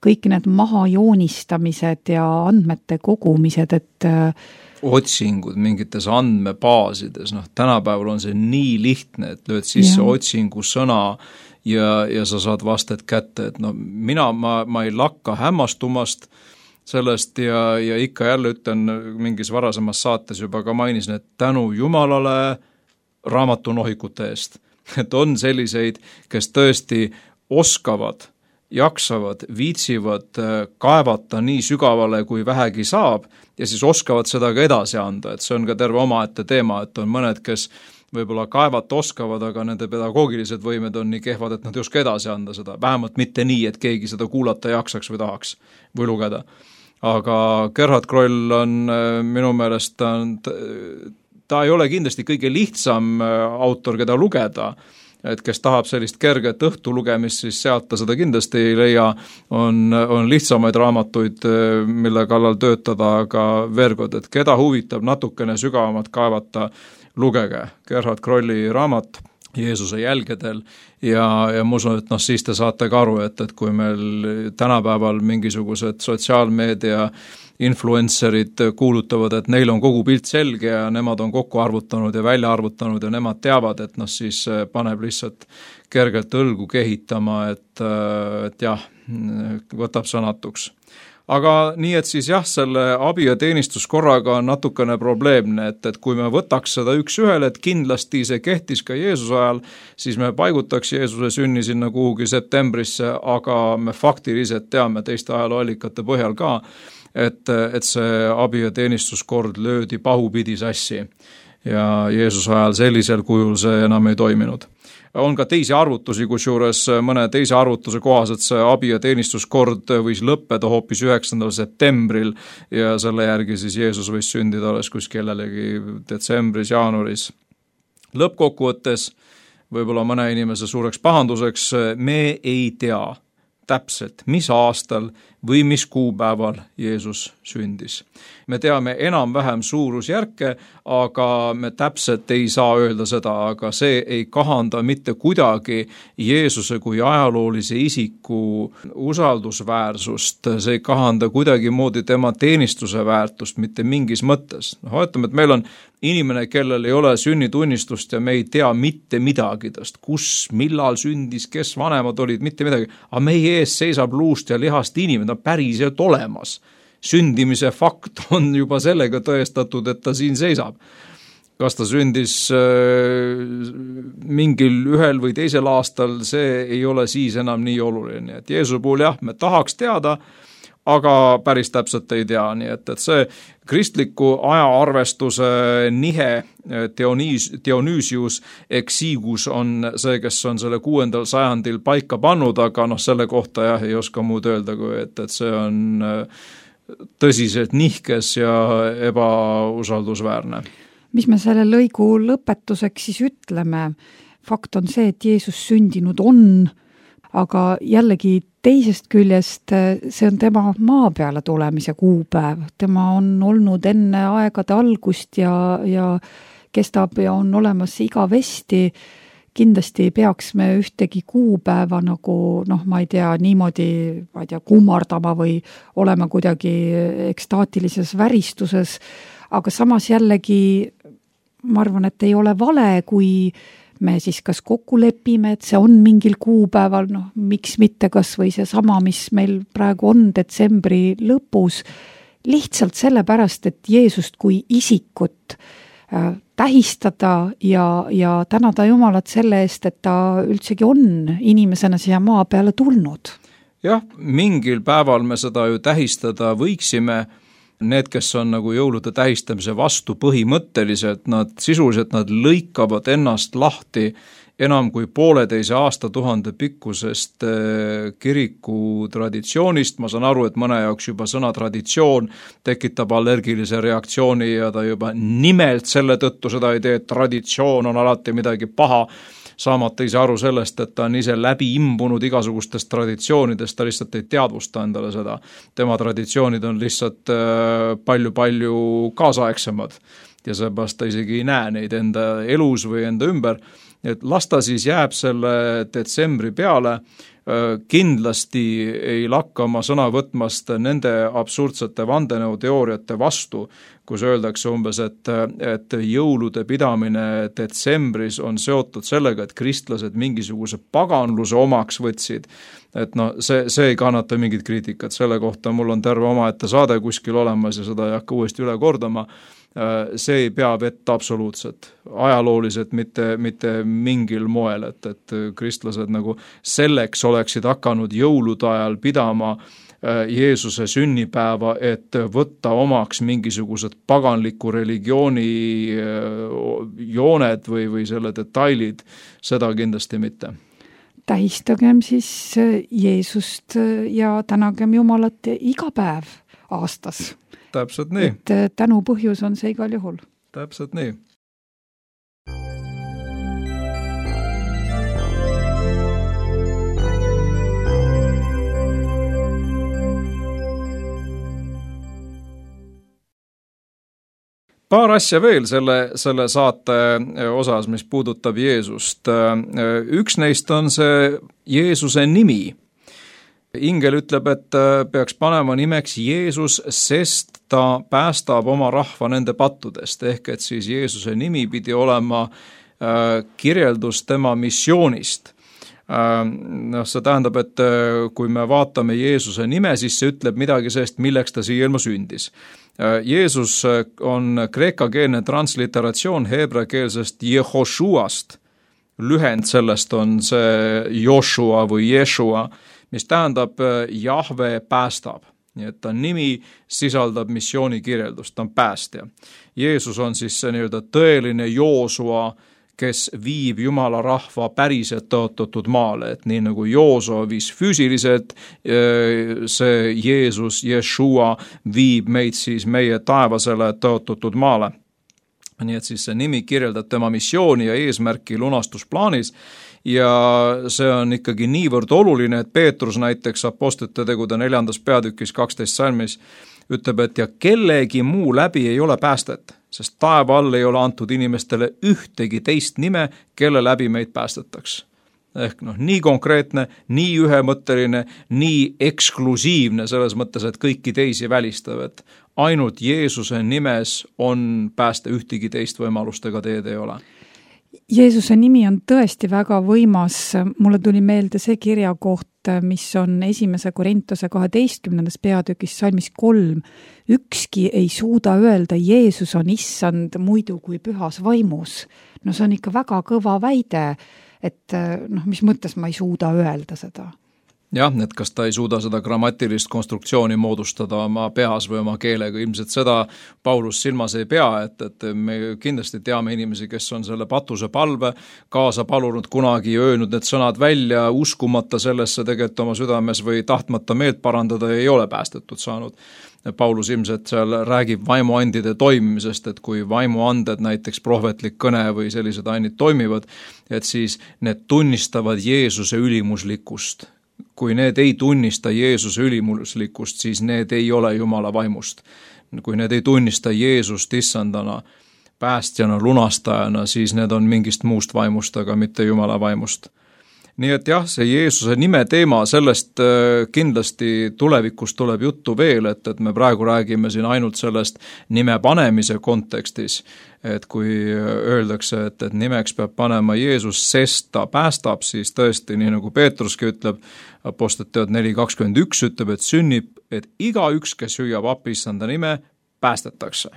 kõik need mahajoonistamised ja andmete kogumised, et
otsingud mingites andmebaasides, noh tänapäeval on see nii lihtne, et lööd sisse ja. Otsingu sõna ja, ja sa saad vasted kätte, et no mina, ma, ma ei lakka hämmastumast sellest ja, ja ikka jälle ütlen mingis varasemas saates juba ka mainisin, et tänu Jumalale raamatunohikute eest, et on selliseid, kes tõesti oskavad jaksavad, viitsivad kaevata nii sügavale, kui vähegi saab ja siis oskavad seda ka edasi anda, et see on ka terve omaette teema, et on mõned, kes võib-olla kaevata oskavad, aga nende pedagoogilised võimed on nii kehvad, et nad ei oska edasi anda seda, vähemalt mitte nii, et keegi seda kuulata jaksaks või tahaks või lugeda. Aga Gerhard Kroll on minu meelest, ta, on, ta ei ole kindlasti kõige lihtsam autor, keda lugeda, et kes tahab sellist kerget õhtu lugemist, siis sealt ta seda kindlasti ei leia, on, on lihtsamaid raamatuid, mille kallal töötada, aga vergod, et keda huvitab natukene sügavamat kaevata, lugege Gerhard Krolli raamat Jeesuse jälgedel ja, ja ma usun, et noh, siis te saate ka aru, et, et kui meil tänapäeval mingisugused sotsiaalmeedia influencerid kuulutavad, et neil on kogu pilt selge ja nemad on kokku arvutanud ja välja arvutanud ja nemad teavad, et noh, siis paneb lihtsalt kergelt õlgu kehitama, et, et jah, võtab sõnatuks. Aga nii, et siis jah, selle abi- ja teenistuskorraga on natukene probleemne, et, et kui me võtaks seda üks ühele, et kindlasti see kehtis ka Jeesuse ajal, siis me paigutaks Jeesuse sünni sinna kuhugi septembrisse, aga me faktiliselt teame teiste ajalooallikate põhjal ka, et, et see abi- ja teenistuskord löödi pahupidi sassi ja Jeesuse ajal sellisel kujul see enam ei toiminud. On ka teisi arvutusi, kusjuures mõne teise arvutuse kohaselt see abi- ja teenistuskord võis lõppeda hoopis üheksandal septembril ja selle järgi siis Jeesus võis sündida alles kuskil jällegi detsembris, jaanuaris. Lõppkokkuvõttes võib-olla mõne inimese suureks pahanduseks, me ei tea täpselt, mis aastal või mis kuupäeval Jeesus sündis. Me teame enam-vähem suurusjärke, aga me täpselt ei saa öelda seda, aga see ei kahanda mitte kuidagi Jeesuse kui ajaloolise isiku usaldusväärsust, see ei kahanda kuidagi moodi tema teenistuse väärtust mitte mingis mõttes. No, ütleme, et meil on inimene, kellel ei ole sünnitunnistust ja me ei tea mitte midagi tast, kus, millal sündis, kes vanemad olid, mitte midagi, aga meie ees seisab luust ja lihast inimene, ta on päriselt olemas. Sündimise fakt on juba sellega tõestatud, et ta siin seisab. Kas ta sündis äh, mingil ühel või teisel aastal, see ei ole siis enam nii oluline. Et Jeesuse puhul jah, me tahaks teada, aga päris täpselt ei tea. Nii et, et see kristliku ajaarvestuse nihe Dionys, Dionysius Exigus on see, kes on selle kuuendal sajandil paika pannud, aga noh, selle kohta jah, ei oska muud öelda, kui et, et see on tõsiselt nihkes ja ebausaldusväärne.
Mis me selle lõigu lõpetuseks siis ütleme? Fakt on see, et Jeesus sündinud on, aga jällegi teisest küljest see on tema maa peale tulemise kuupäev. Tema on olnud enne aegade algust ja, ja kestab ja on olemas igavesti. Kindlasti ei peaks me ühtegi kuupäeva nagu, noh, ma ei tea, niimoodi, ma ei tea, kummardama või olema kuidagi ekstaatilises väristuses, aga samas jällegi ma arvan, et ei ole vale, kui me siis kas kokku lepime, et see on mingil kuupäeval, noh, miks mitte kas või see sama, mis meil praegu on detsembri lõpus, lihtsalt sellepärast, et Jeesust kui isikut äh, tähistada ja, ja tänada Jumalat selle eest, et ta üldsegi on inimesena siia maa peale tulnud.
Jah, mingil päeval me seda ju tähistada võiksime. Need, kes on nagu jõulude tähistamise vastu põhimõtteliselt, nad sisuliselt nad lõikavad ennast lahti enam kui pooleteise aastatuhande pikkusest kiriku traditsioonist. Ma saan aru, et mõne jaoks juba sõna traditsioon tekitab allergilise reaktsiooni ja ta juba nimelt selle tõttu seda ei tee, et traditsioon on alati midagi paha. Saamata ise aru sellest, et ta on ise läbi imbunud igasugustest traditsioonidest, ta lihtsalt ei teadvusta endale seda. Tema traditsioonid on lihtsalt palju-palju kaasaegsemad ja seepärast ta isegi ei näe neid enda elus või enda ümber. Et lasta siis jääb selle detsembri peale, kindlasti ei lakka ma sõna võtmast nende absurdsete vandenõuteooriate vastu, kus öeldakse umbes, et, et jõulude pidamine detsembris on seotud sellega, et kristlased mingisuguse paganluse omaks võtsid. Et no, see, see ei kannata mingit kriitikat, selle kohta mul on terve omaette saade kuskil olemas ja seda ei hakka uuesti üle kordama. See ei pea vett absoluutselt, ajalooliselt mitte, mitte mingil moel, et, et kristlased nagu selleks oleksid hakanud jõulude ajal pidama Jeesuse sünnipäeva, et võtta omaks mingisugused paganliku religiooni jooned või, või selle detailid, seda kindlasti mitte.
Tähistagem siis Jeesust ja tänagem Jumalat iga päev aastas.
Täpselt nii.
Et tänu põhjus on see igal juhul.
Täpselt nii. Paar asja veel selle, selle saate osas, mis puudutab Jeesust. Üks neist on see Jeesuse nimi. Ingel ütleb, et peaks panema nimeks Jeesus, sest ta päästab oma rahva nende pattudest, ehk et siis Jeesuse nimi pidi olema kirjeldus tema missioonist. No, see tähendab, et kui me vaatame Jeesuse nime, siis see ütleb midagi sellest, milleks ta siia ilma sündis. Jeesus on kreekakeelne transliteratsioon heebreakeelsest Jehoshuast. Lühend sellest on see Joshua või Jeshua, mis tähendab Jahve päästab. Nii et ta nimi sisaldab missiooni kirjeldust, ta on päästja. Jeesus on siis see nii-öelda tõeline Joosua, kes viib Jumala rahva päriselt tõotatud maale, et nii nagu Joosua viis füüsiliselt, see Jeesus, Jeshua viib meid siis meie taevasele tõotatud maale. nii et siis see nimi kirjeldab tema missiooni ja eesmärki lunastusplaanis ja see on ikkagi niivõrd oluline, et Peetrus näiteks Apostlite tegude neljandas peatükis kaksteist salmis ütleb, et ja kellegi muu läbi ei ole päästet, sest taeva all ei ole antud inimestele ühtegi teist nime, kelle läbi meid päästetaks. Ehk noh, nii konkreetne, nii ühemõtteline, nii eksklusiivne selles mõttes, et kõiki teisi välistav, et ainult Jeesuse nimes on pääste, ühtegi teist võimalustega teed ei ole.
Jeesuse nimi on tõesti väga võimas. Mulle tuli meelde see kirjakoht, mis on esimese Korintuse kaheteistkümnendas peatükis salmis kolm. Ükski ei suuda öelda, Jeesus on issand muidu kui pühas vaimus. No see on ikka väga kõva väide, et noh, mis mõttes ma ei suuda öelda seda.
Jah, et kas ta ei suuda seda grammatilist konstruktsiooni moodustada oma peas või oma keelega, ilmselt seda Paulus silmas ei pea, et, et me kindlasti teame inimesi, kes on selle patuse palve kaasa palunud kunagi, öelnud need sõnad välja, uskumata sellesse tegelikult oma südames või tahtmata meelt parandada ei ole päästetud saanud. Paulus ilmselt seal räägib vaimuandide toimimisest, et kui vaimuanded, näiteks prohvetlik kõne või sellised ainid toimivad, et siis need tunnistavad Jeesuse ülimuslikkust. Kui need ei tunnista Jeesuse ülimuslikkust, siis need ei ole Jumala vaimust. Kui need ei tunnista Jeesust issandana, päästjana, lunastajana, siis need on mingist muust vaimust, aga mitte Jumala vaimust. Nii et jah, see Jeesuse nime teema, sellest kindlasti tulevikus tuleb juttu veel, et, et me praegu räägime siin ainult sellest nime panemise kontekstis, et kui öeldakse, et, et nimeks peab panema Jeesus, sest ta päästab, siis tõesti, nii nagu Peetruski ütleb, Apostlite teod neli kakskümmend üks ütleb, et sünnib, et igaüks, kes hüüab appi issanda nime, päästetakse.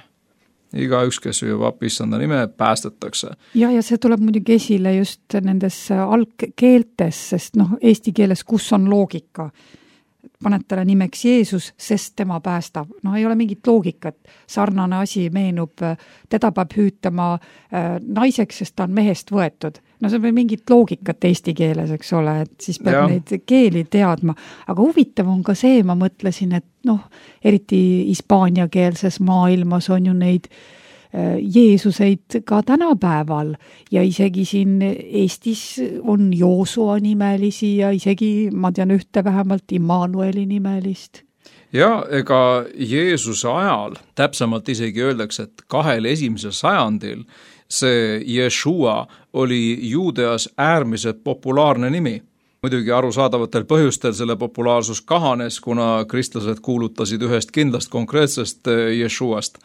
Igaüks, kes hüüab appi issanda nime, päästetakse.
Ja, ja see tuleb muidugi esile just nendes algkeeltes, sest noh, eesti keeles, kus on loogika. Paned talle nimeks Jeesus, sest tema päästab. No ei ole mingit loogikat. Sarnane asi meenub, teda peab hüütama naiseks, sest ta on mehest võetud. No see on mingit loogikat eesti keeles, eks ole, et siis peab ja. Neid keeli teadma. Aga huvitav on ka see, ma mõtlesin, et noh, eriti hispaaniakeelses maailmas on ju neid Jeesuseid ka tänapäeval ja isegi siin Eestis on Joosua nimelisi ja isegi, ma tean ühte vähemalt Immanueli nimelist.
Ja ega Jeesuse ajal, täpsemalt isegi öeldakse, et kahel esimesel sajandil see Jeshua oli Juudeas äärmiselt populaarne nimi. Muidugi arusaadavatel põhjustel selle populaarsus kahanes, kuna kristlased kuulutasid ühest kindlast konkreetsest Jeshuast.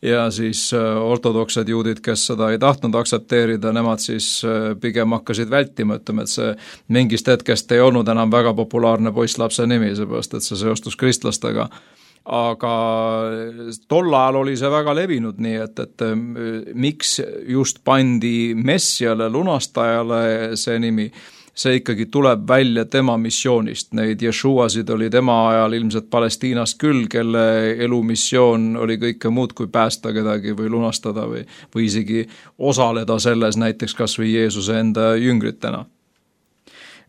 Ja siis ortodoksed juudid, kes seda ei tahtnud aksepteerida, nemad siis pigem hakkasid vältima, ütleme, et see mingist hetkest ei olnud enam väga populaarne poisslapse nimi, seepärast, et see seostus kristlastega. Aga tol ajal oli see väga levinud, nii et, et miks just pandi Messiale, lunastajale see nimi, see ikkagi tuleb välja tema missioonist. Neid Jeshuasid oli tema ajal ilmselt Palestiinast küll, kelle elumissioon oli kõike muud kui päästa kedagi või lunastada või, või isegi osaleda selles näiteks kas või Jeesuse enda jüngritena.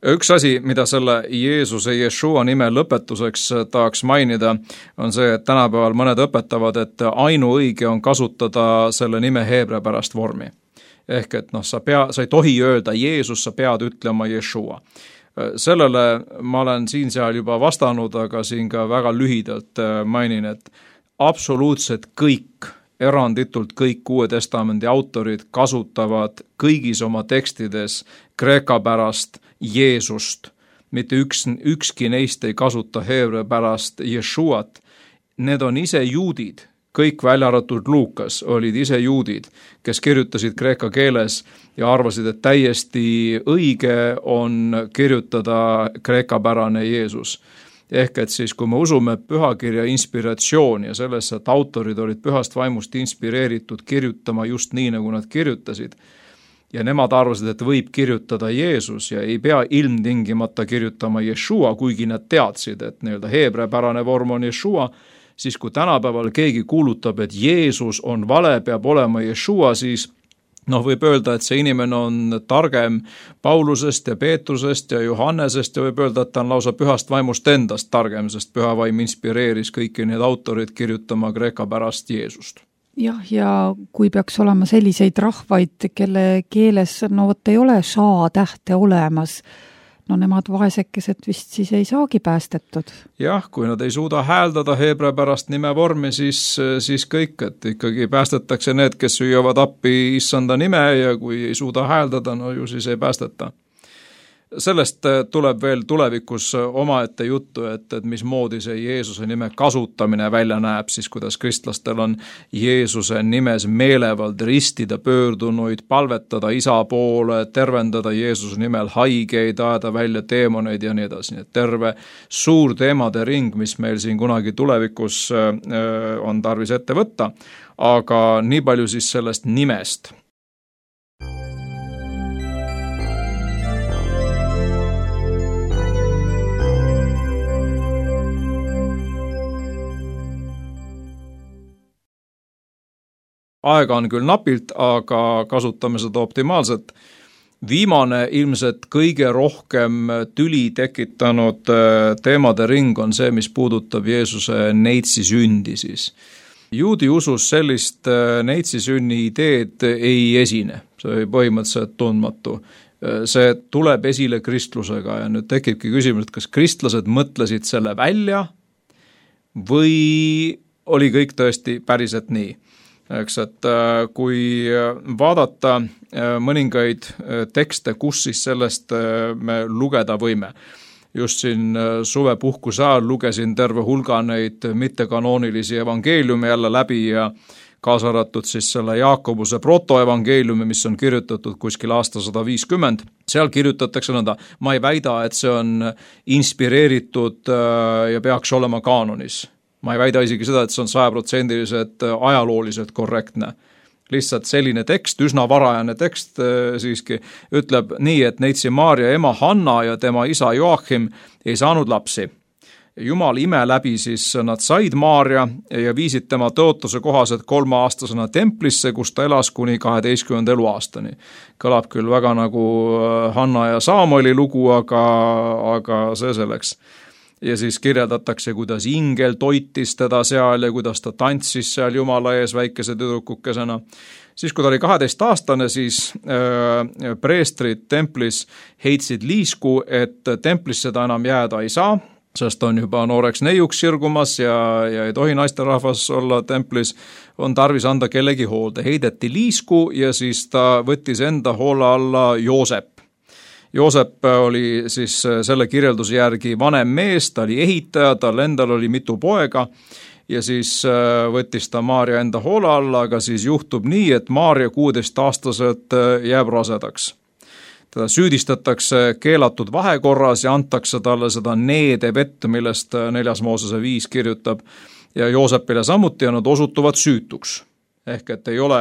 Üks asi, mida selle Jeesuse Jeshua nime lõpetuseks tahaks mainida, on see, et tänapäeval mõned õpetavad, et ainuõige on kasutada selle nime heebrea pärast vormi. Ehk et noh, sa, pea, sa ei tohi öelda Jeesus, sa pead ütlema Jeshua. Sellele ma olen siin seal juba vastanud, aga siin ka väga lühidalt mainin, et absoluutselt kõik, eranditult kõik Uue Testamendi autorid kasutavad kõigis oma tekstides kreeka pärast Jeesust. Mitte üks, ükski neist ei kasuta heebrea pärast Jeshuat. Need on ise juudid. Kõik välja arvatud Luukas olid ise juudid, kes kirjutasid kreeka keeles ja arvasid, et täiesti õige on kirjutada kreekapärane Jeesus. Ehk et siis, kui me usume pühakirja inspiratsiooni ja sellesse, et autorid olid pühast vaimust inspireeritud kirjutama just nii, nagu nad kirjutasid, ja nemad arvasid, et võib kirjutada Jeesus ja ei pea ilmtingimata kirjutama Jeshua, kuigi nad teadsid, et nii-öelda heebrea pärane vorm on Jeshua, siis kui tänapäeval keegi kuulutab, et Jeesus on vale, peab olema Jeshua, siis noh, võib öelda, et see inimene on targem Paulusest ja Peetrusest ja Johannesest ja võib öelda, et ta on lausa pühast vaimust endast targem, sest püha vaim inspireeris kõiki need autorid kirjutama kreeka pärast Jeesust.
jah, ja kui peaks olema selliseid rahvaid, kelle keeles no vot ei ole ša tähte olemas, no nemad vaesekesed vist siis ei saagi päästetud.
Jah, kui nad ei suuda hääldada heebrea pärast nimevormi, siis, siis kõik, et ikkagi päästetakse need, kes süüavad appi issanda nime ja kui ei suuda hääldada, no ju siis ei päästeta. Sellest tuleb veel tulevikus omaette juttu, et, et mismoodi see Jeesuse nime kasutamine välja näeb, siis kuidas kristlastel on Jeesuse nimes meelevald ristida pöördunuid, palvetada isa poole, tervendada Jeesuse nimel haigeid, ajada välja teemoneid ja nii edasi. Nii et terve suur teemade ring, mis meil siin kunagi tulevikus on tarvis ette võtta, aga nii palju siis sellest nimest. Aega on küll napilt, aga kasutame seda optimaalselt. Viimane ilmselt kõige rohkem tüli tekitanud teemade ring on see, mis puudutab Jeesuse neitsi sündi siis. Juudi usus sellist neitsi sünni ideed ei esine, see oli põhimõtteliselt tundmatu. See tuleb esile kristlusega ja nüüd tekibki küsimus, et kas kristlased mõtlesid selle välja või oli kõik tõesti päriselt nii. Eks, et kui vaadata mõningaid tekste, kus siis sellest me lugeda võime. Just siin suvepuhkuse ajal lugesin terve hulga neid mittekanoonilisi evangeeliumi jälle läbi ja kaasa arvatud siis selle Jaakobuse protoevangeeliumi, mis on kirjutatud kuskil aasta sada viiskümmend. Seal kirjutatakse nõnda, ma ei väida, et see on inspireeritud ja peaks olema kaanonis. Ma ei väida isegi seda, et see on sajaprotsendiliselt ajalooliselt korrektne. Lihtsalt selline tekst, üsna varajane tekst siiski, ütleb nii, et neitsi Maarja ema Hanna ja tema isa Joachim ei saanud lapsi. Jumal ime läbi siis nad said Maarja ja viisid tema tõotuse kohaselt kolmeaastasena templisse, kus ta elas kuni kaheteistkümnenda eluaastani. Kõlab küll väga nagu Hanna ja Saamoli lugu, aga, aga see selleks. Ja siis kirjeldatakse, kuidas ingel toitis teda seal ja kuidas ta tantsis seal Jumala ees väikese tüdrukukesena. Siis kui ta oli kaheteist aastane, siis äh, preestrid templis heitsid liisku, et templisse ta enam jääda ei saa, sest on juba nooreks neiuks sirgumas ja, ja ei tohi naisterahvas olla templis, on tarvis anda kellegi hoolde. Heideti liisku ja siis ta võttis enda hoole alla Joosep. Joosep oli siis selle kirjelduse järgi vanem mees, ta oli ehitaja, tal endal oli mitu poega ja siis võttis ta Maarja enda hoole alla, aga siis juhtub nii, et Maarja kuueteistaastaselt jääb rasedaks. Teda süüdistatakse keelatud vahekorras ja antakse talle seda neede vett, millest neljas Moosese viis kirjutab ja Joosepile samuti ja nad osutuvad süütuks. Ehk et ei ole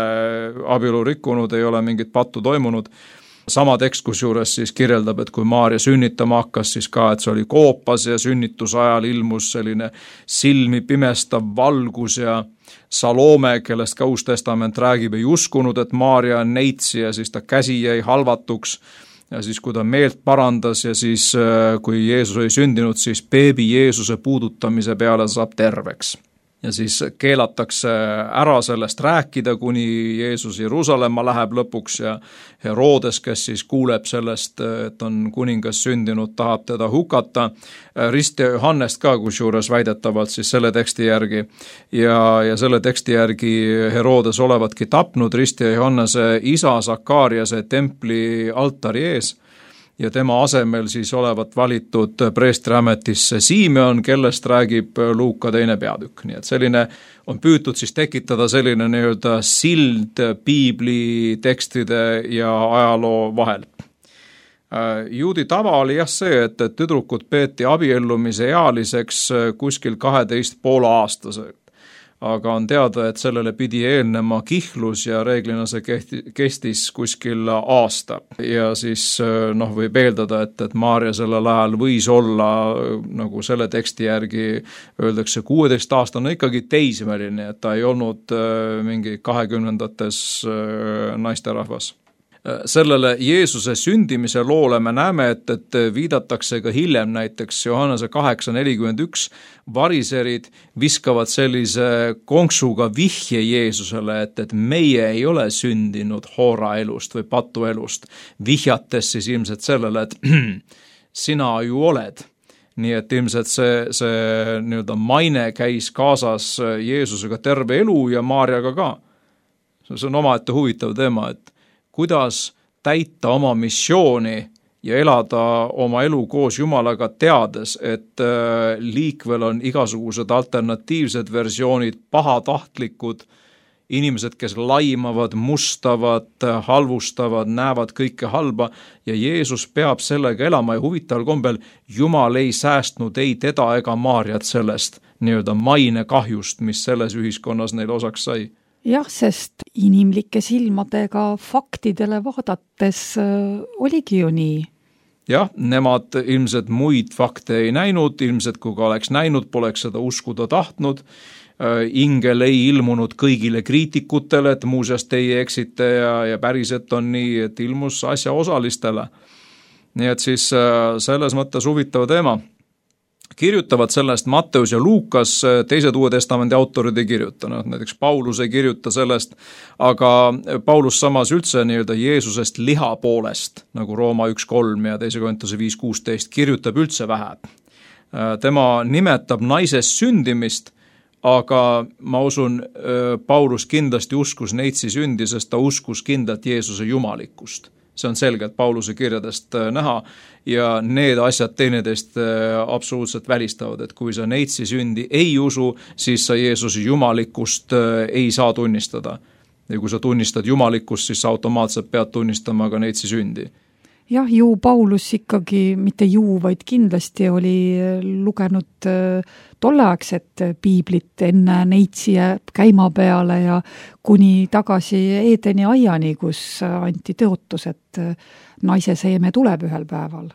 abielu rikkunud, ei ole mingit pattu toimunud. Sama tekst, kus juures siis kirjeldab, et kui Maarja sünnitama hakkas, siis ka, et see oli koopas ja sünnitusajal ilmus selline silmi pimestav valgus ja Salome, kellest ka Uus Testament räägib, ei uskunud, et Maarja on neitsi ja siis ta käsi jäi halvatuks ja siis kui ta meelt parandas ja siis kui Jeesus oli sündinud, siis beebi Jeesuse puudutamise peale saab terveks. Ja siis keelatakse ära sellest rääkida, kuni Jeesus Jeruusalemma läheb lõpuks ja Herodes, kes siis kuuleb sellest, et on kuningas sündinud, tahab teda hukata. Ristja Johannest ka, kus juures väidetavalt siis selle teksti järgi ja, ja selle teksti järgi Herodes olevatki tapnud Ristja Johannese isa Sakariase templi altari ees. Ja tema asemel siis olevat valitud preestriametisse Simeon, kellest räägib Luuka teine peatükk. Nii et selline on püütud siis tekitada selline nii-öelda sild piibli tekstide ja ajaloo vahel. Juudi tava oli jah see, et tüdrukud peeti abiellumise ealiseks kuskil kaheteist poole aastased. Aga on teada, et sellele pidi eelnema kihlus ja reeglina see kehti, kestis kuskil aasta. Ja siis noh, võib eeldada, et, et Maarja sellel ajal võis olla, nagu selle teksti järgi öeldakse, kuueteist aastane ikkagi teismeline, et ta ei olnud mingi kahekümnendates naisterahvas. sellele Jeesuse sündimise loole me näeme, et, et viidatakse ka hiljem näiteks Johannese kaheksa nelikümmend üks, variserid viskavad sellise konksuga vihje Jeesusele, et, et meie ei ole sündinud hooraelust või patuelust, vihjates siis ilmselt sellele, et sina ju oled. Nii et ilmselt see, see nii-öelda maine käis kaasas Jeesusega terve elu ja Maarjaga ka. See on omaette huvitav teema, et kuidas täita oma missiooni ja elada oma elu koos Jumalaga teades, et liikvel on igasugused alternatiivsed versioonid, pahatahtlikud inimesed, kes laimavad, mustavad, halvustavad, näevad kõike halba ja Jeesus peab sellega elama ja huvitaval kombel Jumal ei säästnud ei teda ega Maarjat sellest nii-öelda maine kahjust, mis selles ühiskonnas neil osaks sai.
Jah, sest inimlike silmadega faktidele vaadates oligi ju nii.
Jah, nemad ilmselt muid fakte ei näinud, ilmselt kui ka oleks näinud, poleks seda uskuda tahtnud. Ingel ei ilmunud kõigile kriitikutele, et muuseas teie eksite ja, ja päriselt on nii, et ilmus asja osalistele. Nii et siis selles mõttes huvitav teema. Kirjutavad sellest Matteus ja Luukas, teised Uue Testamendi autorid ei kirjuta, no, näiteks Paulus ei kirjuta sellest, aga Paulus samas üldse nii-öelda Jeesusest liha poolest, nagu Rooma üks kolm ja teise Korintuse viis kuusteist, kirjutab üldse vähe. Tema nimetab naisest sündimist, aga ma usun, Paulus kindlasti uskus neitsi sündi, sest ta uskus kindlalt Jeesuse jumalikkust. See on selgelt Pauluse kirjadest näha ja need asjad teineteist absoluutselt välistavad, et kui sa neitsi sündi ei usu, siis sa Jeesuse jumalikkust ei saa tunnistada. Ja kui sa tunnistad jumalikkust, siis sa automaatselt pead tunnistama ka neitsi sündi.
Jah, ju Paulus ikkagi, mitte ju, vaid kindlasti oli lugenud tolleaegset piiblit enne neitsi käima peale ja kuni tagasi Eedeni aiani, kus anti tõotus, et naise seeme tuleb ühel päeval.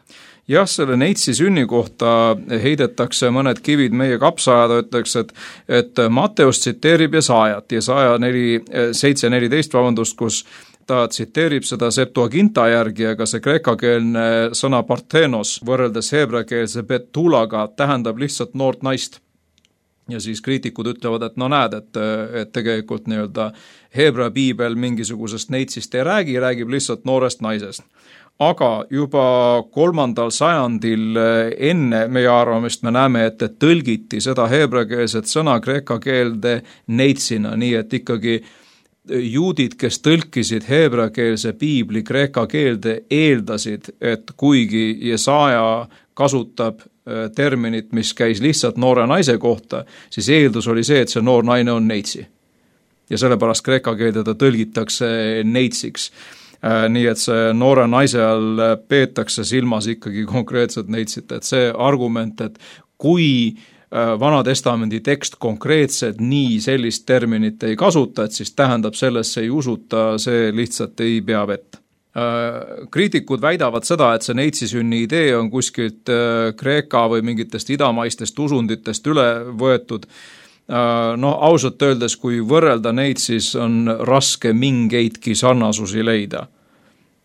Jah, selle neitsi sünni kohta heidetakse mõned kivid meie kapsaajada, ütleks, et, et Matteus tsiteerib Jesaajat, Jesaja seitse neliteist, vabandust, kus ta tsiteerib seda Septuaginta järgi, aga see kreekakeelne sõna parthenos võrreldes heebrakeelse betulaga tähendab lihtsalt noort naist. Ja siis kriitikud ütlevad, et no näed, et, et tegelikult nii-öelda heebra piibel mingisugusest neitsist ei räägi, räägib lihtsalt noorest naisest. Aga juba kolmandal sajandil enne meie arvamist me näeme, et tõlgiti seda heebrakeelset sõna kreeka keelde neitsina, nii et ikkagi juudid, kes tõlkisid heebrakeelse piibli kreeka keelde, eeldasid, et kuigi Jesaja kasutab terminit, mis käis lihtsalt noore naise kohta, siis eeldus oli see, et see noor naine on neitsi. Ja sellepärast kreeka keelde ta tõlgitakse neitsiks. Nii et see noore naise all peetakse silmas ikkagi konkreetselt neitsit, et see argument, et kui Vana testamendi tekst konkreetselt nii sellist terminit ei kasuta, et siis tähendab sellesse ei usuta, see lihtsalt ei pea vett. Kriitikud väidavad seda, et see neitsisünni idee on kuskilt Kreeka või mingitest idamaistest usunditest üle võetud. No ausalt öeldes, kui võrrelda neid, siis on raske mingeidki sarnasusi leida.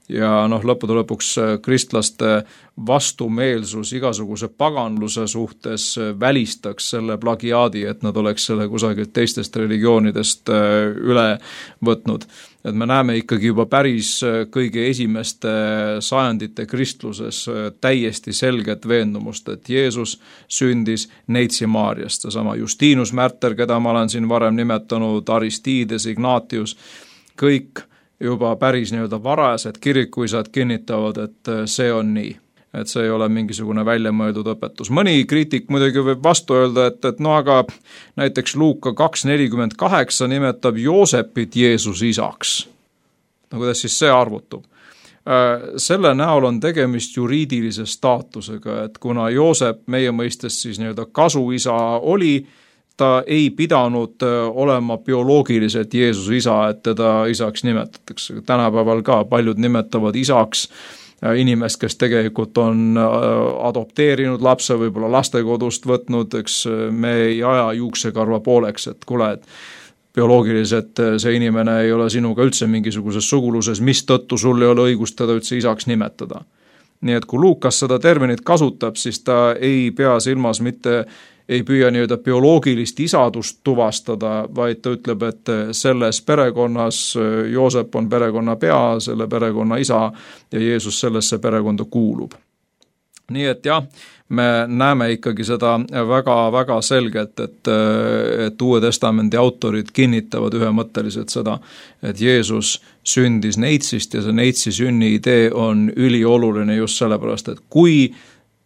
Ja noh, lõppude lõpuks kristlaste vastumeelsus igasuguse paganluse suhtes välistaks selle plagiaadi, et nad oleks selle kusagilt teistest religioonidest üle võtnud. Et me näeme ikkagi juba päris kõige esimeste sajandite kristluses täiesti selget veendumust, et Jeesus sündis neitsi Maarjast. Seesama Justinus Märter, keda ma olen siin varem nimetanud, Aristides, Ignatius, kõik juba päris nii-öelda varajased kirikuisad kinnitavad, et see on nii. Et see ei ole mingisugune väljamõeldud õpetus. Mõni kriitik muidugi võib vastu öelda, et, et no aga näiteks Luuka kaks nelikümmend kaheksa nimetab Joosepit Jeesus isaks. No kuidas siis see arvutub? Selle näol on tegemist juriidilise staatusega, et kuna Joosep meie mõistes siis nii-öelda kasuisa oli, ta ei pidanud olema bioloogiliselt Jeesuse isa, et teda isaks nimetatakse. Tänapäeval ka paljud nimetavad isaks inimest, kes tegelikult on adopteerinud lapse, võib-olla lastekodust võtnud, eks me ei aja juuksekarva pooleks, et kuule, et bioloogiliselt see inimene ei ole sinuga üldse mingisuguses suguluses, mis tõttu sul ei ole õigust teda üldse isaks nimetada. Nii et kui Luukas seda terminit kasutab, siis ta ei pea silmas mitte, ei püüa nii-öelda bioloogilist isadust tuvastada, vaid ta ütleb, et selles perekonnas Joosep on perekonna pea, selle perekonna isa ja Jeesus sellesse perekonda kuulub. Nii et jah, me näeme ikkagi seda väga-väga selgelt, et, et Uue Testamendi autorid kinnitavad ühemõtteliselt seda, et Jeesus sündis neitsist ja see neitsi sünni idee on ülioluline just sellepärast, et kui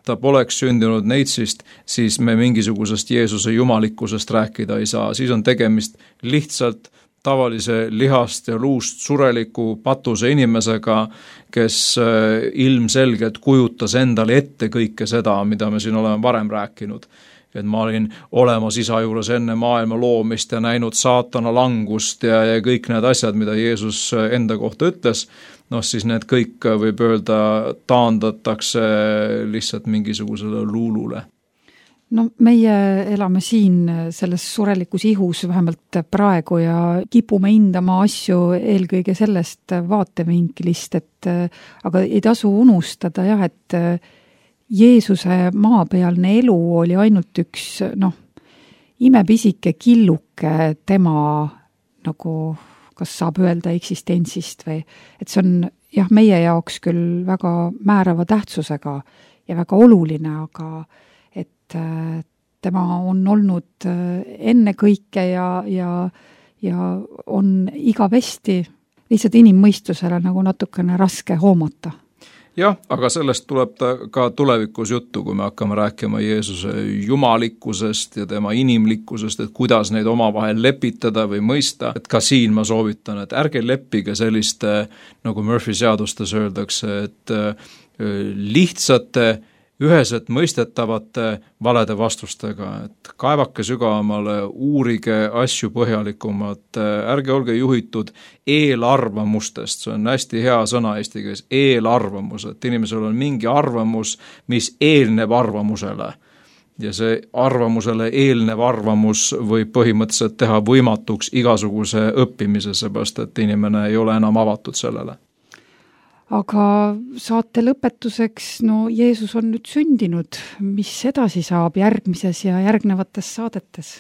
ta poleks sündinud neitsist, siis me mingisugusest Jeesuse jumalikkusest rääkida ei saa, siis on tegemist lihtsalt tavalise lihast ja luust sureliku patuse inimesega, kes ilmselgelt kujutas endale ette kõike seda, mida me siin oleme varem rääkinud. Et ma olin olemas isa juures enne maailma loomist ja näinud saatana langust ja, ja kõik need asjad, mida Jeesus enda kohta ütles, noh siis need kõik võib öelda taandatakse lihtsalt mingisugusele luulule.
No meie elame siin selles surelikus ihus vähemalt praegu ja kipume hindama asju eelkõige sellest vaatevinklist, et aga ei tasu unustada jah, et Jeesuse maapealne elu oli ainult üks noh, imepisike killuke tema nagu, kas saab öelda eksistentsist või, et see on jah, meie jaoks küll väga määrava tähtsusega ja väga oluline, aga tema on olnud enne kõike ja, ja, ja on igavesti lihtsalt inimmõistusele nagu natukene raske hoomata.
Jah, aga sellest tuleb ta ka tulevikus juttu, kui me hakkame rääkima Jeesuse jumalikkusest ja tema inimlikkusest, et kuidas neid omavahel lepitada või mõista. Et ka siin ma soovitan, et ärge leppige selliste, nagu Murphy seadustes öeldakse, et lihtsate üheselt mõistetavate valede vastustega, et kaevake sügavamale, uurige asju põhjalikumalt, ärge olge juhitud eelarvamustest, see on hästi hea sõna eesti keeles, eelarvamus, et inimesel on mingi arvamus, mis eelneb arvamusele. Ja see arvamusele eelnev arvamus võib põhimõtteliselt teha võimatuks igasuguse õppimise, seepärast et inimene ei ole enam avatud sellele.
Aga saate lõpetuseks, no Jeesus on nüüd sündinud, mis edasi saab järgmises ja järgnevates saadetes?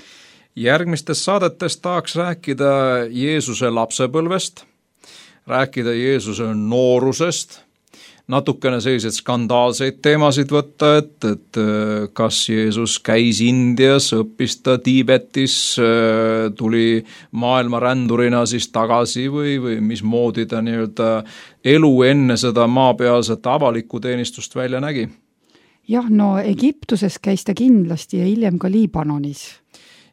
Järgmistes saadetes tahaks rääkida Jeesuse lapsepõlvest, rääkida Jeesuse noorusest, natukene selliseid skandaalseid teemasid võtta, et, et kas Jeesus käis Indias, õppis ta Tiibetis, tuli maailma rändurina siis tagasi või, või mismoodi ta nii-öelda elu enne seda maapealset avalikku teenistust välja nägi?
Jah, no Egiptuses käis ta kindlasti ja hiljem ka Liibanonis.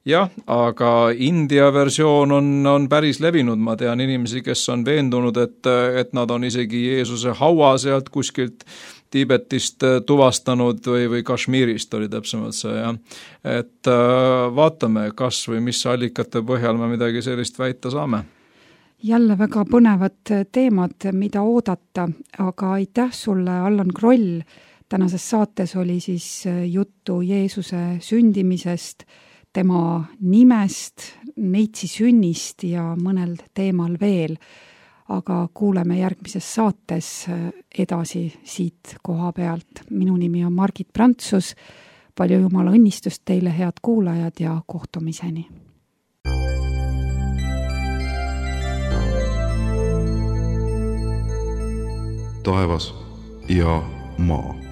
Jah, aga India versioon on, on päris levinud, ma tean inimesi, kes on veendunud, et, et nad on isegi Jeesuse haua sealt kuskilt Tiibetist tuvastanud või, või Kashmirist oli täpsemalt see, jah. Et vaatame, kas või mis allikate põhjal me midagi sellist väita saame.
Jälle väga põnevad teemad, mida oodata, aga aitäh sulle, Allan Kroll. Tänases saates oli siis juttu Jeesuse sündimisest, tema nimest, neitsi sünnist ja mõnel teemal veel, aga kuuleme järgmises saates edasi siit koha pealt. Minu nimi on Margit Prantsus, palju jumala õnnistust teile, head kuulajad, ja kohtumiseni.
Taevas ja maa.